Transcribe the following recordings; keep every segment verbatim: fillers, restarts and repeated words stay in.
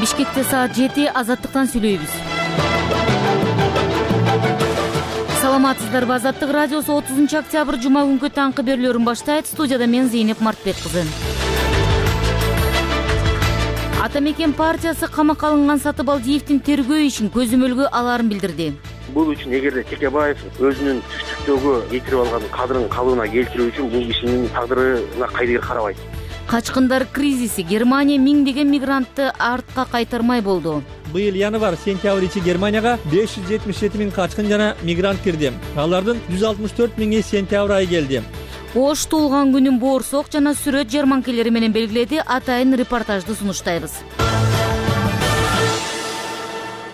Бишкекте саат жети, Азаттыктан сүйлөйбүз. Саламатсыздарбы? Азаттык радиосу отузунчу октябрь жума күнгү таңкы берүүлөрүн баштайт. Студияда мен Зейнеп Мартбек кызы. Ата мекен партиясы камакка алынган Сатыбалдиевдин тергөө ишин көзөмөлгө алаарын билдирди. Бул үчүн эгерде Текебаев өзүнүн түштүктөгү кетирип алган кадырын калыбына келтирүү үчүн бул кишинин тагдырына кайдыгер карабайт. Качкындар кризиси. Германия миңдеген мигрантты артка кайтармай болду. Быйыл январь-сентябрь ичи Германияга беш жүз жетимиш жети миң качкын жана мигрант кирди. Алардын жүз алтымыш төрт миңи сентябрь айы келди. Ош туулган күнүн боорсок жана сүрөт жарманкелери менен белгиледи. Атайын репортажды сунуштайбыз.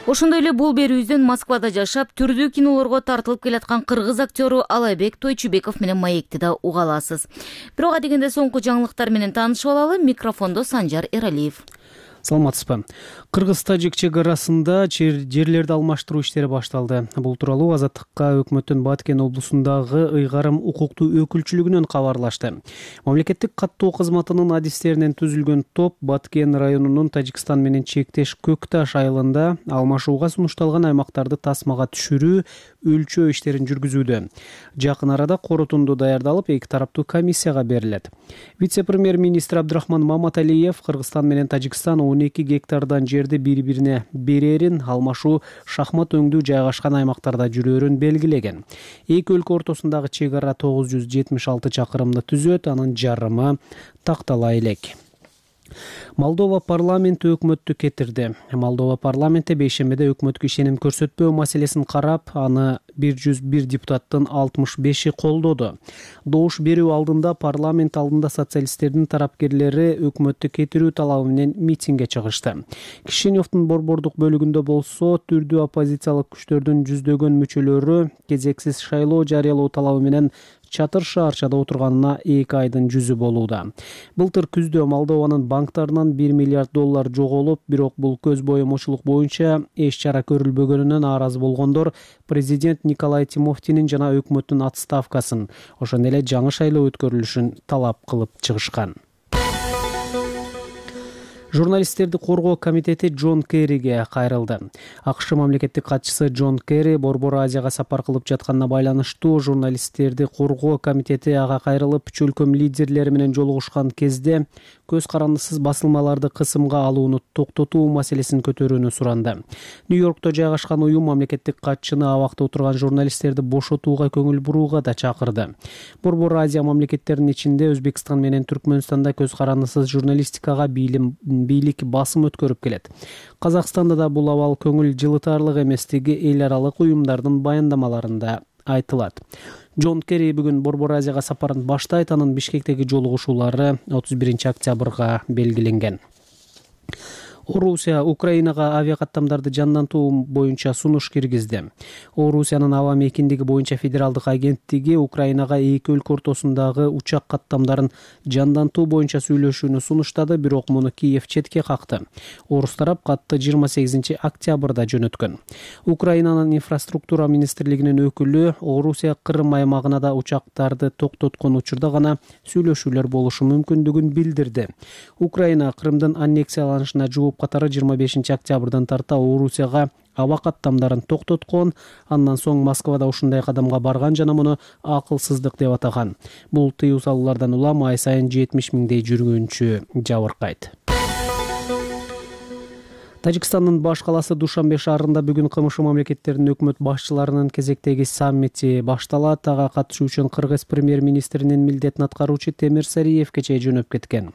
Ошондой эле бул берүүбүздөн Москвада жашап, түрдүү кинолорго тартылып келаткан кыргыз актеру Алайбек Тойчубеков менен маекти да уга аласыз. Бирок адегенде соңку жаңылыктар менен таанышып алалы. Микрофондо Санжар Эралиев. Саламатсызбы? Кыргыз-тажик чек арасында жерлерди алмаштыруу иштери башталды. Бул тууралуу Азаттыкка өкмөттүн Баткен облусундагы ыйгарым укуктуу өкүлчүлүгүнөн кабарлашты. Мамлекеттик каттоо кызматынын адистеринен түзүлгөн топ Баткен районунун Тажикстан менен чектеш Көкташ айылында алмашууга сунушталган аймактарды тасмага түшүрүү, өлчөө иштерин жүргүзүүдө. Жакын арада корутунду даярдалып, эки тараптуу комиссияга берилет. Вице-премьер-министр Абдрахман Маматалиев Кыргызстан менен Тажикстан он эки гектардан жерди бири-бирине берерин, алмашуу шахмат өңдүү жайгашкан аймактарда жүрөөрүн белгилеген. Эки өлкө ортосундагы чек ара тогуз жүз жетимиш алты чакырымды түзөт, анын жарымы тактала элек. Молдова парламенти өкмөттү кетирди. Молдова парламенти бейшембиде өкмөткө ишеним көрсөтпөө маселесин карап, аны бир жүз бир депутаттын алтымыш беши колдоду. Добуш берүү алдында парламент алдында социалисттердин тарапкерлери өкмөттү кетирүү талабы менен митингге чыгышты. Кишиневдин борбордук бөлүгүндө болсо, түрдүү оппозициялык күчтөрдүн жүздөгөн мүчөлөрү кезексиз шайлоо жарыялоо талабы менен чатыр шаарчада отурганына эки айдын жүзү болууда. Былтыр күздө Молдованын банктарынан бир миллиард доллар жоголуп, бирок бул көз боемочулук боюнча эч чара көрүлбөгөнүнөн нааразы болгондор президент Николай Тимофтинин жана өкмөттүн отставкасын, ошондой эле жаңы шайлоо өткөрүлүшүн талап кылып чыгышкан. Журналисттерди коргоо комитети Джон Керриге кайрылды. АКШ мамлекеттик катчысы Джон Керри Борбор Азияга сапар кылып жатканына байланыштуу журналисттерди коргоо комитети ага кайрылып, үч өлкөм лидерлери менен жолугушкан кезде көз карандысыз басылмаларды кысымга алууну токтотуу маселесин көтөрүүнү суранды. Нью-Йоркто жайгашкан уюм мамлекеттик катчыны абакта отурган журналисттерди бошотууга көңүл бурууга да чакырды. Борбор Азия мамлекеттеринин ичинде Өзбекстан менен Түркмөнстанда көз карандысыз журналистикага бийлим бийлик басым өткөрүп келет. Казакстанда да бул абал көңүл жылытарлык эместиги эл аралык уюмдардын баяндамаларында айтылат. Джон Керри бүгүн Борбор Азияга сапарын баштайт, анын Бишкектеги жолугушуулары отуз биринчи октябрга белгиленген. Орусия Украинага авиакаттамдарды жандантуу боюнча сунуш киргизди. Орусиянын аба мекендиги боюнча федералдык агенттиги Украинага эки өлкө ортосундагы учак каттамдарын жандантуу боюнча сүйлөшүүнү сунуштады, бирок муну Киев четке какты. Орус тарап катты жыйырма сегизинчи октябрда жөнөткөн. Украинанын инфраструктура министрлигинин өкүлү Орусия Кырым аймагына да учактарды токтоткон учурда гана сүйлөшүүлөр болушу мүмкүндүгүн билдирди. Украина Кырымдын аннексияланышына жооп катары жыйырма бешинчи октябрдан тарта Орусияга аба каттамдарын токтоткон, андан соң Москвада ушундай кадамга барган жана муну акылсыздык деп атаган. Бул тыюу салуулардан улам ай сайын жетимиш миңдей жүргүнчү жабыркайт. Тажикстандын баш каласы Душанбе шаарында бүгүн КМШ мамлекеттеринин өкмөт башчыларынын кезектеги саммити башталат. Ага катышуу үчүн Кыргыз премьер-министринин милдетин аткаруучу Темир Сариев кечээ жөнөп кеткен.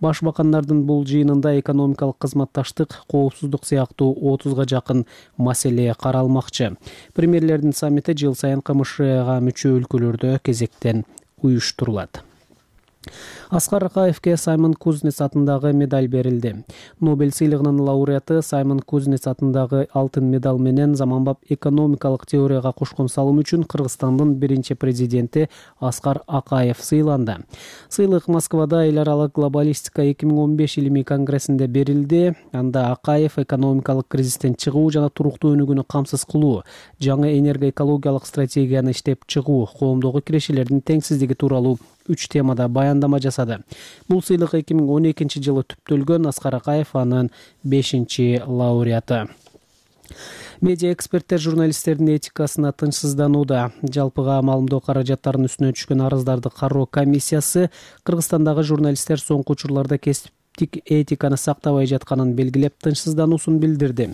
Башбакандардын бул жыйынында экономикалык кызматташтык, коопсуздук сыяктуу отузга жакын маселе каралмакчы. Премьерлердин саммити жыл сайын КМШга мүчө өлкөлөрдө кезектен уюштурулат. Аскар Акаевке Саймон Кузнец атындагы медаль берилди. Нобель сыйлыгынын лауреаты Саймон Кузнец атындагы алтын медаль менен заманбап экономикалык теорияга кошкон салым үчүн Кыргызстандын биринчи президенти Аскар Акаев сыйланды. Сыйлык Москвада эл аралык глобалистика эки миң он беш илимий конгрессинде берилди. Анда Акаев экономикалык кризистен чыгуу жана туруктуу өнүгүүнү камсыз кылуу, жаңы энергоэкологиялык стратегияны иштеп чыгуу, коомдогу кирешелердин теңсиздиги тууралуу үч темада баяндама жасады. Бул сыйлык эки миң он экинчи жылы түптөлгөн. Аскар Акаев анын бешинчи лауреаты. Медиа эксперттер журналисттердин этикасына тынчсызданууда. Жалпыга маалымдоо каражаттарынын үстүнө түшкөн арыздарды кароо комиссиясы Кыргызстандагы журналисттер соңку учурларда кесиптик этиканы сактабай жатканын белгилеп, тынчсыздануусун билдирди.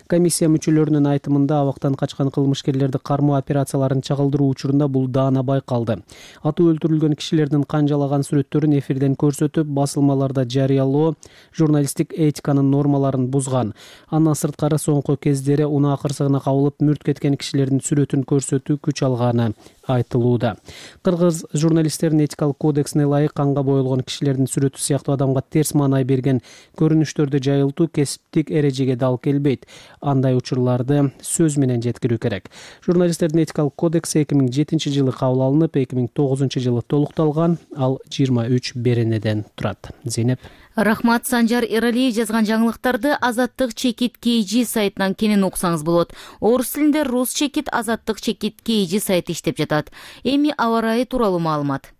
Комиссия мүчөлөрүнүн айтымында абактан качкан кылмышкерлерди кармоо операцияларын чагылдыруу учурунда бул даана байкалды. Атуу өлтүрүлгөн кишилердин канжалаган сүрөттөрүн эфирден көрсөтүп, басылмаларда жарыялоо журналисттик этиканын нормаларын бузган. Андан сырткары соңку кездери унаа кырсыгына кабылып мүрт кеткен кишилердин сүрөтүн көрсөтүү күч алганы айтылууда. Кыргыз журналисттердин этикалык кодексине ылайык канга боелгон кишилердин сүрөтү сыяктуу адамга терс маанай берген көрүнүштөрдү жайылтуу кесиптик эрежеге дал келбейт. Андай учурларды сөз менен жеткирүү керек. Журналисттердин этикалык кодекси эки миң жетинчи жылы кабыл алынып, эки миң тогузунчу жылы толукталган. Ал жыйырма үч беренеден турат. Зейнеп. Рахмат. Санжар Эралиев жазган жаңылыктарды Азаттык чекит кей жи сайтынан кенен окусаңыз болот. Орус тилинде Рус чекит Азаттык чекит кей жи сайты иштеп жатат. Эми аба ырайы тууралуу маалымат.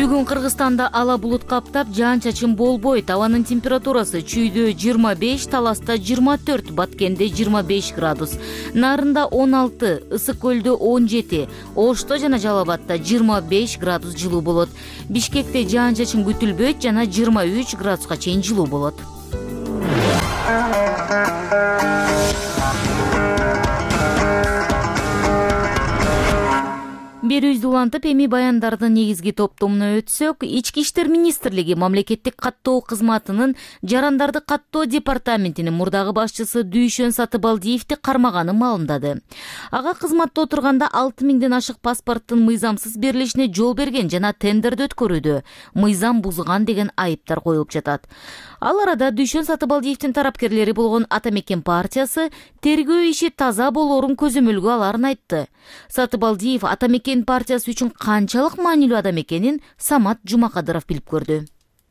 Бүгүн Кыргызстанда ала булут каптап, жаан-чачын болбойт. Абанын температурасы чүйдө жыйырма беш, Таласта жыйырма төрт, Баткенде жыйырма беш градус, Нарында он алты, Ысык көлдө он жети, Ошто жана Жалал Абадта жыйырма беш градус жылуу болот. Бишкекте жаан-чачын күтүлбөйт жана жыйырма үч градуска чейин жылуу болот. Берүүбүздү улантып, эми баяндардын негизги топтомуна өтсөк, Ички иштер министрлиги мамлекеттик каттоо кызматынын жарандарды каттоо департаментинин мурдагы башчысы Дүйшөн Сатыбалдиевди кармаганын маалымдады. Ага кызматта отурганда алты миңден ашык паспорттун мыйзамсыз берилишине жол берген жана тендерди өткөрүүдө мыйзам бузган деген айыптар коюлуп жатат. Ал арада Дүйшөн Сатыбалдиевдин тарапкерлери болгон Ата Мекен партиясы тергөө иши таза болоорун көзөмөлгө аларын айтты. Сатыбалдиев Ата Мекен партиясы үчүн канчалык маанилүү адам экенин Самат Жумакадыров билип көрдү.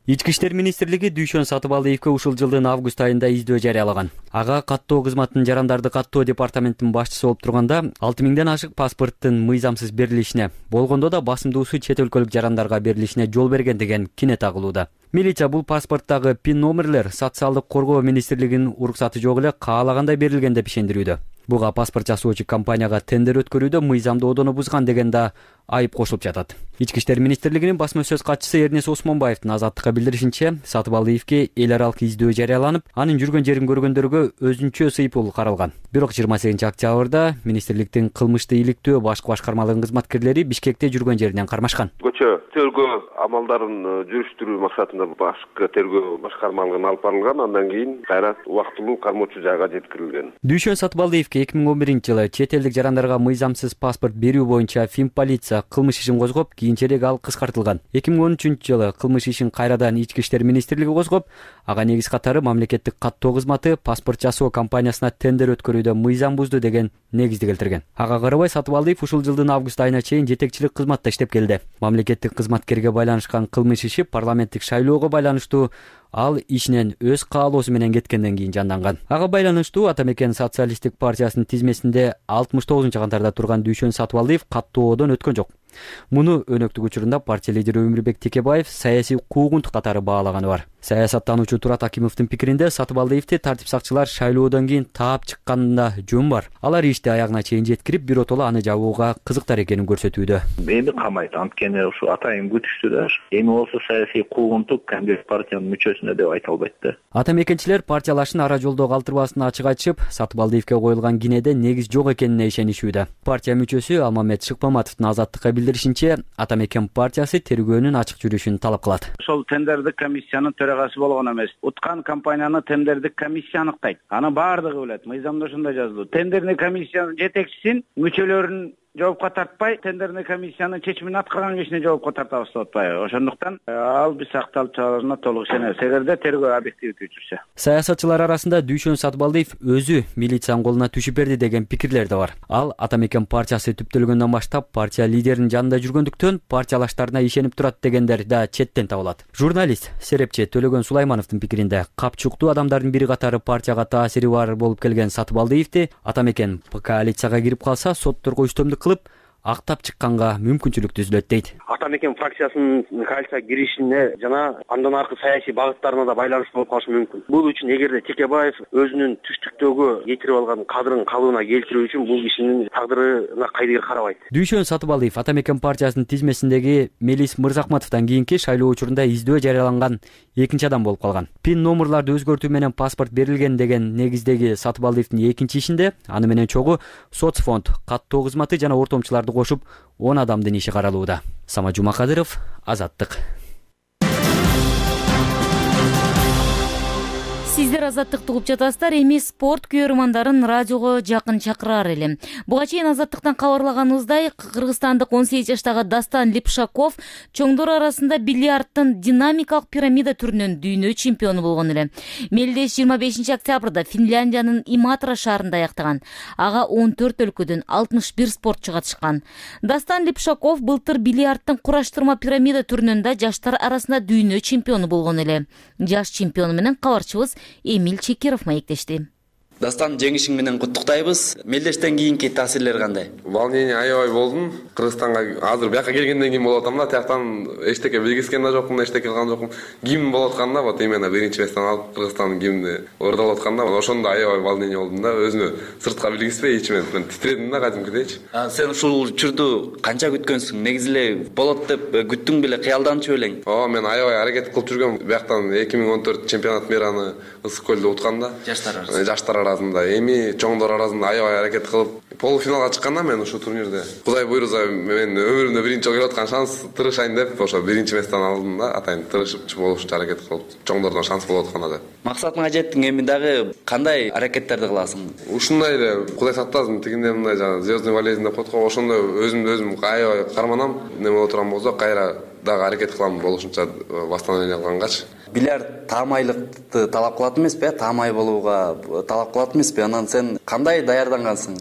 Ички иштер министрлиги Дүйшөн Сатыбалдиевге ушул жылдын август айында издөө жарыялаган. Ага каттоо кызматынын жарандарды каттоо департаментинин башчысы болуп турганда алты миңден ашык паспорттун мыйзамсыз берилишине, болгондо да басымдуусу чет өлкөлүк жарандарга берилишине жол берген деген кине тагылууда. Милиция бул паспорттагы пин номерлер социалдык коргоо министрлигинин уруксаты жок эле каалагандай берилген деп ишендирүүдө. Буга паспорт жасоочу компанияга тендер өткөрүүдө мыйзамдоодону бузган деген да айып кошулуп жатат. Ички иштер министрлигинин басма сөз катчысы Эрнес Осмонбаевдин Азаттыкка билдиришинче, Сатыбалдиевге эл аралык издөө жарыяланып, анын жүргөн жерин көргөндөргө өзүнчө сыйпыл каралган. Бирок жыйырма сегизинчи октябрда министрликтин кылмышты иликтөө башкы башкармалыгынын кызматкерлери Бишкекте жүргөн жеринен кармашкан. Көчө тергөө амалдарын жүрүштүрүү максатында башкы тергөө башкармалыгына алып барылган, андан кийин кайра убактылуу кармоочу жайга жеткирилген. Дүйшөн Сатыбалдиевге эки миң он биринчи жылы чет элдик жарандарга мыйзамсыз паспорт берүү боюнча Фин полиция кылмыш ишин козгоп, кийинчерээк ал кыскартылган. эки миң он үчүнчү жылы кылмыш ишин кайрадан Ички иштер министрлиги козгоп, ага негиз катары мамлекеттик каттоо кызматы паспорт жасоо компаниясына тендер өткөрүүдө мыйзам бузду деген негизди келтирген. Ага карабай Сатыбалдиев ушул жылдын август айына чейин жетекчилик кызматта иштеп келди. Мамлекеттик кызматкерге байланышкан кылмыш иши парламенттик шайлоого байланыштуу ал ишинен өз каалоосу менен кеткенден кийин жанданган. Ага байланыштуу Ата Мекен социалисттик партиясынын тизмесинде алтымыш тогузунчу кантарда турган Дүйшөн Сатыбалдиев каттоодон өткөн жок. Муну өнөктүк учурунда партия лидери Өмүрбек Текебаев саясий куугунтук катары баалаганы бар. Саясаттануучу Турат Акимовдун пикиринде Сатыбалдиевди тартип сакчылар шайлоодон кийин таап чыкканында жөн бар. Алар ишти аягына чейин жеткирип, биротоло аны жабууга кызыктар экенин көрсөтүүдө. Эми камайт, анткени ушу атайын күтүштү да. Эми болсо саясий куугунтук кандидат партиянын мүчөсүнө деп айта албайт да. Ата Мекенчилер партиялашын ара жолдо калтырбасын ачык айтышып, Сатыбалдиевге коюлган кинеде негиз жок экенине ишенишүүдө. Партия мүчөсү Алмамет Шыкмаматовдун Азаттыкка билдиришинче, Ата Мекен партиясы тергөөнүн ачык жүрүшүн талап кылат. Ошол тендердик комиссиянын төрагасы болгон эмес. Уткан компанияны тендердик комиссия аныктайт. Аны баардыгы билет. Мыйзамда ошондой жазылды. Тендердик комиссиянын жетекчисин мүчөлөрүнүн жоопко тартпай, тендердик комиссиянын чечимин аткарган кишине жоопко тартабыз деп атпайбы. Ошондуктан ал биз сакталып чыгарына толук ишенебиз. Эгерде тергөө объективдүү жүрсө. Саясатчылар арасында Дүйшөн Сатыбалдиев өзү милициянын колуна түшүп берди деген пикирлер да бар. Ал Ата Мекен партиясы түптөлгөндөн баштап партия лидеринин жанында жүргөндүктөн партиялаштарына ишенип турат дегендер да четтен табылат. Журналист, серепчи Төлөгөн Сулаймановдун пикиринде, капчуктуу адамдардын бири катары партияга таасири бар болуп келген Сатыбалдиевди Ата Мекен коалицияга кирип калса, сотторго үстөмдүк кылып актап чыкканга мүмкүнчүлүк түзүлөт дейт. Ата мекен фракциясынын коалицияга киришине жана андан аркы саясий багыттарына да байланыштуу болуп калышы мүмкүн. Бул үчүн эгерде Текебаев өзүнүн түштүктөгү кетирип алган кадрын калыбына келтирүү үчүн бул кишинин тагдырына кайдыгер карабайт. Дүйшөн Сатыбалиев Ата мекен партиясынын тизмесиндеги Мелис Мырзахматовдон кийинки шайлоо учурунда издөө жарыяланган экинчи адам болуп калган. Пин номерларды өзгөртүү менен паспорт берилген деген негиздеги Сатыбалиевдин экинчи ишинде аны менен чогуу соцфонд, каттоо кызматы жана ортомчуларды кошуп он адамдын иши каралууда. Сама Жумакадыров, Азаттык. Сиздер Азаттыкты угуп жатасыздар. Эми спорт көрөрмандарын радиого жакын чакыраар элем. Буга чейин Азаттыктан кабарлаганыбыздай, кыргызстандык он сегиз жаштагы Дастан Липшаков чоңдор арасында бильярдтын динамикалык пирамида түрүнөн дүйнө чемпиону болгон эле. Мелдеш жыйырма бешинчи октябрда Финляндиянын Иматра шаарында аяктаган. Ага он төрт өлкөдөн алтымыш бир спортчу катышкан. Дастан Липшаков былтыр бильярдтын кураштырма пирамида түрүнөн да жаштар арасында дүйнө чемпиону болгон эле. Жаш чемпиону менен кабарчыбыз Эмиль Чекиров маектешти. Дастан, жеңишиң менен куттуктайбыз. Мелдештен кийинки таасирлер кандай? Волнение аябай болдум. Кыргызстанга азыр бияка келгенден кийин болуп атам да, тияктан эчтеке билгискен да жокмун, эчтеке кылган жокмун. Гимн болуп атканда, вот именно биринчи местен алып Кыргызстандын гимни ордолуп атканда, ошондо аябай волнение болдум да, өзүмө сыртка билгиспей ичимен титредим да кадимкидейчи. Сен ушул учурду канча күткөнсүң? Негизи эле болот деп күттүң беле, кыялданчу белең? Ооба, мен аябай аракет кылып жүргөм. Бияктан эки миң он төрт чемпионат мираны Ысык көлдө утканда. Жаштар арасында. Жаштар арасында, эми чоңдор арасында аябай аракет кылып полуфиналга чыкканда мен ушул турнирде Кудай буйруза мен өмүрүмдө биринчи келип аткан шанс тырышайын деп ошо биринчи местен алдым да, атайын тырышып болушунча аракет кылып чоңдордон шанс болуп атканда да. Максатыңа жеттиң, эми дагы кандай аракеттерди кыласың? Ушундай эле Кудай сактасын, тигиндей мындай жана звездный болезнь деп коет го, ошондой өзүмдү өзүм аябай карманам. Неме боло турган болсо кайра дагы аракет кылам болушунча восстановление кылгангачы. Бильярд таамайлыкты талап кылат эмеспи? Таамай болууга талап кылат эмеспи? Анан сен кандай даярдангансың?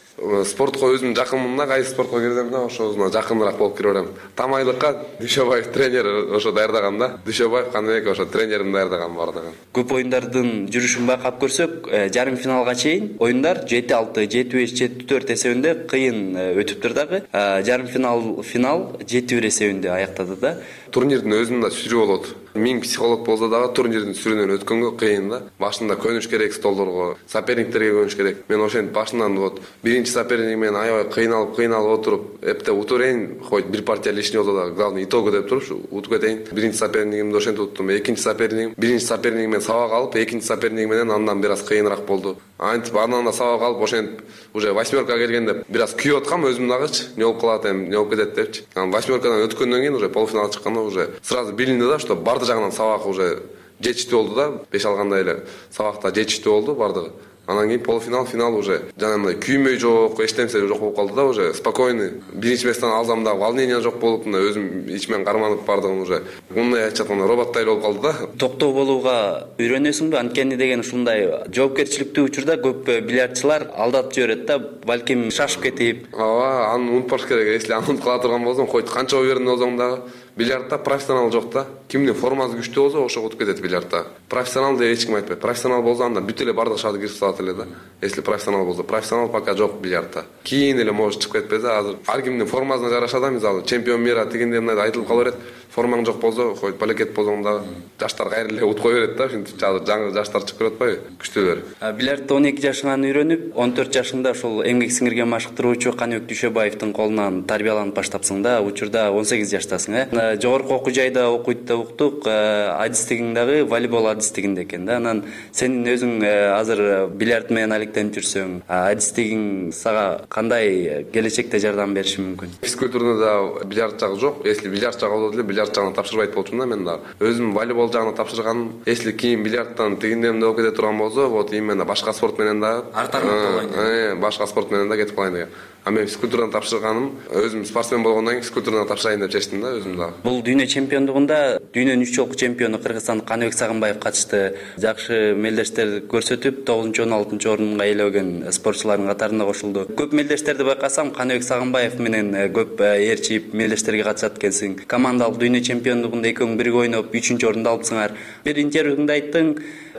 Спортко өзүм жакынмын да, кайсы спортко кирсем да, ошосуна жакыныраак болуп кире берем. Таамайлыкка Дүйшөбаев тренер ошо даярдаган да. Дүйшөбаев Каныбек ошо тренерим даярдаган бардыгы. Көп оюндардын жүрүшүн байкап көрсөк, жарым финалга чейин оюндар жети алты, жети беш, жети төрт эсебинде кыйын өтүптүр дагы. Жарым финал финал жети бир эсебинде аяктады да. Турнирдин өзүндө сүрүү болот. Миң психолог болсо дагы турнирдин сүрүүнөн өткөнгө кыйын да. Башында көнүш керек столдорго, соперниктерге көнүш керек. Мен ошентип башынан вот биринчи соперник менен аябай кыйналып, кыйналып отуруп, эпте утуп берейин, хоть бир партия лишний болсо да, главный итогу деп туруп утуп кетейин. Биринчи сопернигимди ошентип уттум. Экинчи сопернигим, биринчи сопернигим менен сабак алып, экинчи сопернигим менен андан бир аз кыйыныраак болду. Антип андан да сабак алып, ошентип уже восьмерка келгенде бир аз күйүп аткам өзүм дагычы, не болуп калат эми, не болуп кетет депчи. Анан восьмеркадан өткөндөн кийин уже полуфиналга чыкканда уже сразу билинди да, что барды жагынан сабак уже жетиштүү болду да, беш алгандай эле сабакта жетиштүү болду бардыгы. Анан кийин полуфинал, финал уже жана мындай күймөй жок, эчтемсе жок болуп калды да, уже спокойный. Биринчи местен алсам да волнение жок болуп, мындай өзүм ичимен карманып бардыгым уже. Мындай айтып атканда роботтай болуп калды да. Токтоо болууга үйрөнөсүңбү? Анткени деген ушундай жоопкерчиликтүү учурда көп бильярдчылар алдап жиберет да, балким шашып кетип. Ооба, аны унутпаш керек. Если аны унутуп кала турган болсоң, хоть канча уверенный болсоң дагы бильярдта профессионал жок да. Кимдин формасы күчтүү болсо, ошого утуп кетет бильярдта. Профессионал деп эч ким айтпайт. Профессионал болсо анда бүт эле бардык шарды киргизип салат эле да. Если профессионал болсо, профессионал пока жок бильярдта. Кийин эле может чыгып кетпесе, азыр ар кимдин формасына жараша да, мисалы чемпион мира тигиндей мындай айтылып кала берет. Формаң жок болсо, хоть балекет болсоң да жаштар кайра эле утуп кое берет да. Ушинтип жаңы жаштар чыгып көрүп атпайбы? Күчтүүлөр. Бильярдты он эки жашыңан үйрөнүп, он төрт жашыңда ошол эмгек сиңирген машыктыруучу Каныбек Дүйшөбаевдин колунан тарбияланып баштапсың да. Учурда он сегиз жаштасың, э? Жогорку окуу жайда окуйт деп уктук. Адистигиң дагы волейбол адистигинде экен да. Анан сен өзүң азыр бильярд менен алектенип жүрсөң, адистигиң сага кандай келечекте жардам бериши мүмкүн? Физкультурада бильярд жагы жок. Если бильярд жагы болот эле, бильярд жагына тапшырбайт болчумун да мен дагы. Өзүм волейбол жагына тапшырганым. Если кийин бильярдтан тигиндемде болуп кете турган болсо, вот именно башка спорт менен дагы артармак башка спорт менен да кетип калайын деген. А мен физкультурадан тапшырганым, өзүм спортсмен болгондон кийин физкультурадан тапшырайын деп чечтим да өзүм дагы. Бул дүйнө чемпиондугунда дүйнөнүн үч жолку чемпиону Кыргызстандык Каныбек Сагынбаев катышты. Жакшы мелдештер көрсөтүп, тогузунчу он алтынчы орунга ээлеген спортчулардын катарына кошулду. Көп мелдештерди байкасам, Каныбек Сагынбаев менен көп ээрчип мелдештерге катышат экенсиң. Командалык дүйнө чемпиондугунда экөөң бирге ойноп үчүнчү орунду алыпсыңар. Бир интервьюңда айттың,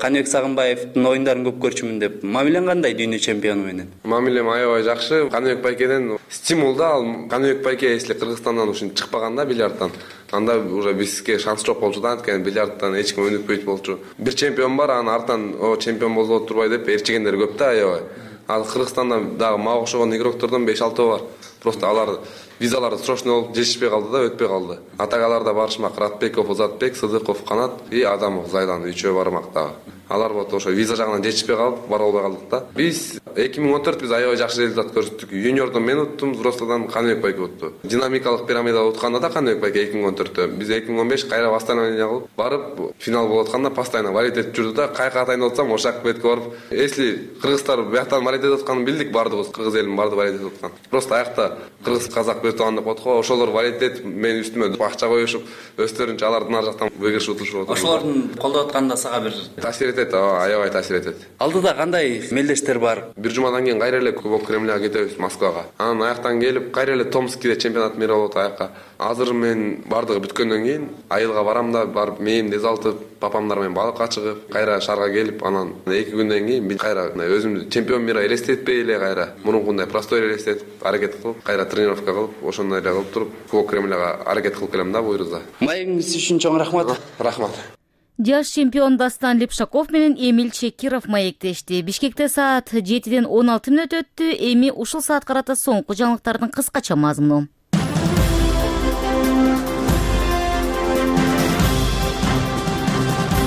Каныбек Сагынбаевдин оюндарын көп көрчүмүн деп. Мамилең кандай дүйнө чемпиону менен? Мамилем аябай жакшы. Каныбек байкеден стимул да, ал Каныбек байке если Кыргызстандан ушинтип чыкпаганда бильярдтан, анда уже бизге шанс жок болчу да, анткени бильярдтан эч ким өнүкпөйт болчу. Бир чемпион бар, анын артынан о чемпион болбой турбай деп ээрчигендер көп да аябай. Ал Кыргызстанда дагы мага окшогон игроктордон беш алты бар. Просто алар визалары срочно болуп жетишпей калды да, өтпөй калды. Атагаларда барышмак Ратбеков, Озатбек, Сыдыков, Канат и Адамов, Зайдан үчөө бармак дагы. Алар вот ошо виза жагынан жетишпей калып, бара албай калдык да. Биз эки миң он төрт биз аябай жакшы результат көрсөттүк. Юниордон мен уттум, взрослыйдан Каныбек байке утту. Динамикалык пирамида утканда да Каныбек байке эки миң он төрттө. Биз эки миң он беш кайра восстановление кылып, барып финал болуп атканда постоянно валет этип жүрдү да. Кайка атайын деп атсам, ошак бетке барып, если кыргыздар бияктан валет этип атканын билдик, бардыгыбыз кыргыз элин барды валет этип аткан. Просто аякта кыргыз казак бертуган деп коет го, ошолор валет этип мен үстүмө акча коюшуп, өздөрүнчө алардын ар жактан выигрыш утушуп отур. Ошолордун колдоп атканда сага бир таасир этет, аябай таасир этет. Алдыда кандай мелдештер бар? Бир жумадан кийин кайра эле Кубок Кремляга кетебиз, Москвага. Анан аяктан келип кайра эле Томскиде чемпионат мира болот аякка. Азыр мен бардыгы бүткөндөн кийин айылга барам да, барып мээимди эзалтып, папамдар менен балыкка чыгып, кайра шаарга келип, анан эки күндөн кийин мен кайра өзүмдү чемпион мира элестетпей эле кайра мурункундай простой элестетип, аракет кылып, кайра тренировка кылып, ошондой эле кылып туруп, Кубок Кремляга аракет кылып келем да буйруза. Маегиңиз үчүн чоң рахмат. Рахмат. Жаш чемпион Дастан Лепшаков менен Эмиль Чекиров маектешти. Бишкекте саат жетиден он алты мүнөт өттү. Эми ушул саат карата соңку жаңылыктардын кыскача мазмуну.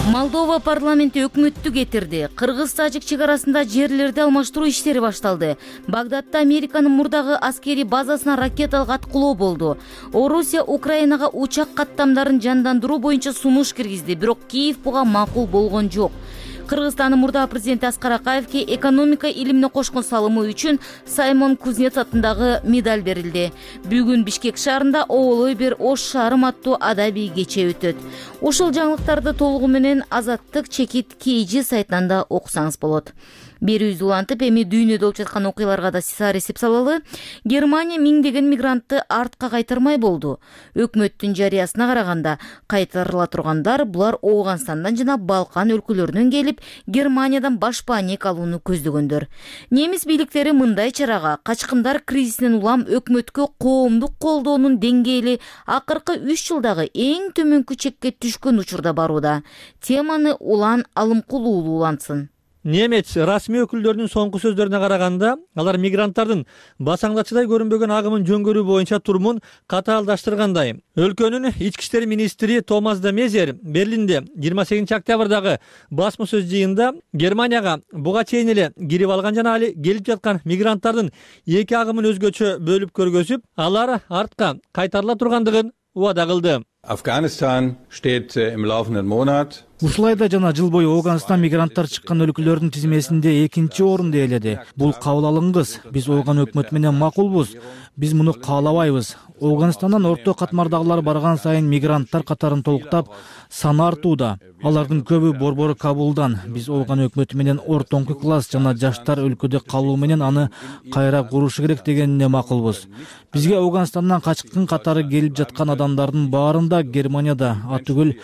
Молдова парламенти өкмөттү кетирди. Кыргыз-Тажик чек арасында жерлерди алмаштыруу иштери башталды. Багдадда Американын мурдагы аскерий базасына ракеталык аткылоо болду. Орусия Украинага учак каттамдарын жандандыруу боюнча сунуш киргизди, бирок Киев буга макул болгон жок. Кыргызстандын мурдагы президенти Аскар Акаевке экономика илимине кошкон салымы үчүн Саймон Кузнец атындагы медаль берилди. Бүгүн Бишкек шаарында Оолой бир ош шаарым аттуу адабий кече өтөт. Ушул жаңылыктарды толугу менен Азаттык чекит Кейжи сайтынан да окусаңыз болот. Берүүбүздү улантып, эми дүйнөдө болуп жаткан окуяларга да сизар эсеп салалы. Германия миңдеген мигрантты артка кайтармай болду. Өкмөттүн жарыясына караганда, кайтарыла тургандар булар Ооганстандан жана Балкан өлкөлөрүнөн келип, Германиядан башпаанек алууну көздөгөндөр. Немис бийликтери мындай чарага качкындар кризисинен улам өкмөткө коомдук колдоонун деңгээли акыркы үч жылдагы эң төмөнкү чекке түшкөн учурда барууда. Теманы Улан Алымкулуулу улантсын. Немец расмий өкүлдөрүнүн соңку сөздөрүнө караганда, алар мигранттардын басаңдачыдай көрүнбөгөн агымын жөнгөрүү боюнча турумун катаалдаштыргандай. Өлкөнүн ички иштер министри Томас де Мезер Берлинде жыйырма сегизинчи октябрдагы басма сөз жыйынында Германияга буга чейин эле кирип алган жана али келип жаткан мигранттардын эки агымын өзгөчө бөлүп көргөзүп, алар артка кайтарыла тургандыгын убада кылды. Afghanistan steht im laufenden Monat. Ушулайда жана жыл бою Ооганстан мигранттар чыккан өлкөлөрдүн тизмесинде экинчи орунду ээледи. Бул кабыл алынгыс. Биз Ооган өкмөтү менен макулбуз. Биз муну каалабайбыз. Ооганстандан орто катмардагылар барган сайын мигранттар катарын толуктап, саны артууда. Алардын көбү борбору Кабулдан. Биз Ооган өкмөтү менен ортоңку класс жана жаштар өлкөдө калуу менен аны кайра курушу керек дегенине макулбуз. Бизге Ооганстандан качкын катары келип жаткан адамдардын баарында Германияда атүгүл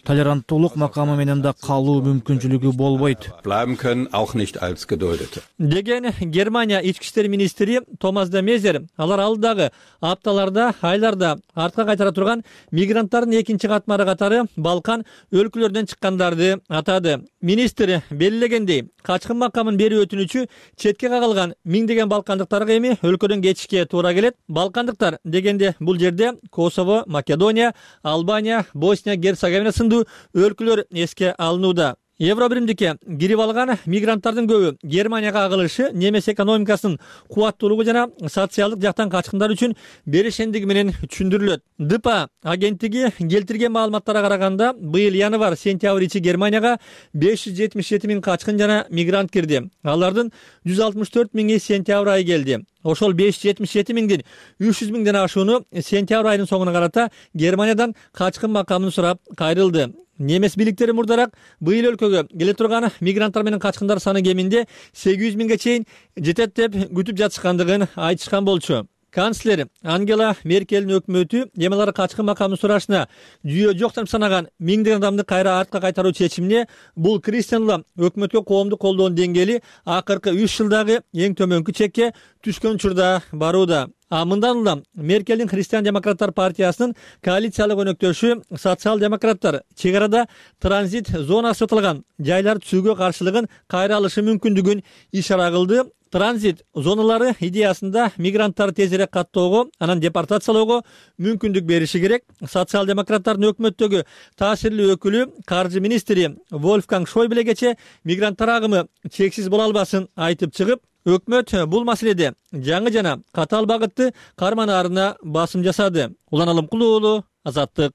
толеранттуулук макамы менен да калуу мүмкүнчүлүгү болбойт. Bleiben können auch nicht als Geduldete. Деген Германия ички иштер министри Томас де Мезер алар алдагы апталарда, айларда артка кайтара турган мигранттардын экинчи катмары катары Балкан өлкөлөрүнөн чыккандарды атады. Министр белгилегендей, качкын макамын берүү өтүнүчү четке кагылган миңдеген балкандыктарга эми өлкөдөн кетишке туура келет. Балкандыктар дегенде бул жерде Косово, Македония, Албания, Босния, Герцеговина сындуу өлкөлөр эске алынууда. Евробиримдикке кирип алган мигранттардын көбү Германияга агылышы немес экономикасынын кубаттуулугу жана социалдык жактан качкындар үчүн беришендиги менен түшүндүрүлөт. ДПА агенттиги келтирген маалыматтарга караганда, быйыл январь-сентябрь ичи Германияга беш жүз жетимиш жети миң качкын жана мигрант кирди. Алардын жүз алтымыш төрт миңи сентябрь айы келди. Ошол беш жүз жетимиш жети миңдин үч жүз миңден ашууну сентябрь айынын соңуна карата Германиядан качкын макамын сурап кайрылды. Немес бийликтери мурдарак быйыл өлкөгө келе турган мигранттар менен качкындар саны кеминде сегиз жүз миңге чейин жетет деп күтүп жатышкандыгын айтышкан болчу. канцлер Ангела Меркелдин өкмөтү эми алар качкы макамын сурашына жүйө жок деп санаган миңдеген адамды кайра артка кайтаруу чечимине бул Кристианлы өкмөткө коомдук колдоонун деңгээли акыркы үч жылдагы эң төмөнкү чекке түшкөн учурда барууда. А мындан улам Меркелдин Христиан демократтар партиясынын коалициялык өнөктөшү социал-демократтар чек арада транзит зонасы сатылган жайлар түзүүгө каршылыгын кайра алышы мүмкүндүгүн ишара кылды. Транзит зоналары идеясында мигранттарды тезирээк каттоого, анан депортациялоого мүмкүндүк бериши керек. Социал-демократтардын өкмөттөгү таасирлүү өкүлү каржы министри Вольфганг Шойблегече мигранттар агымы чексиз боло албасын айтып чыгып, өкмөт бул маселеде жаңы жана катаал багытты карманаарына басым жасады. Улан Алымкулуу уулу, Азаттык.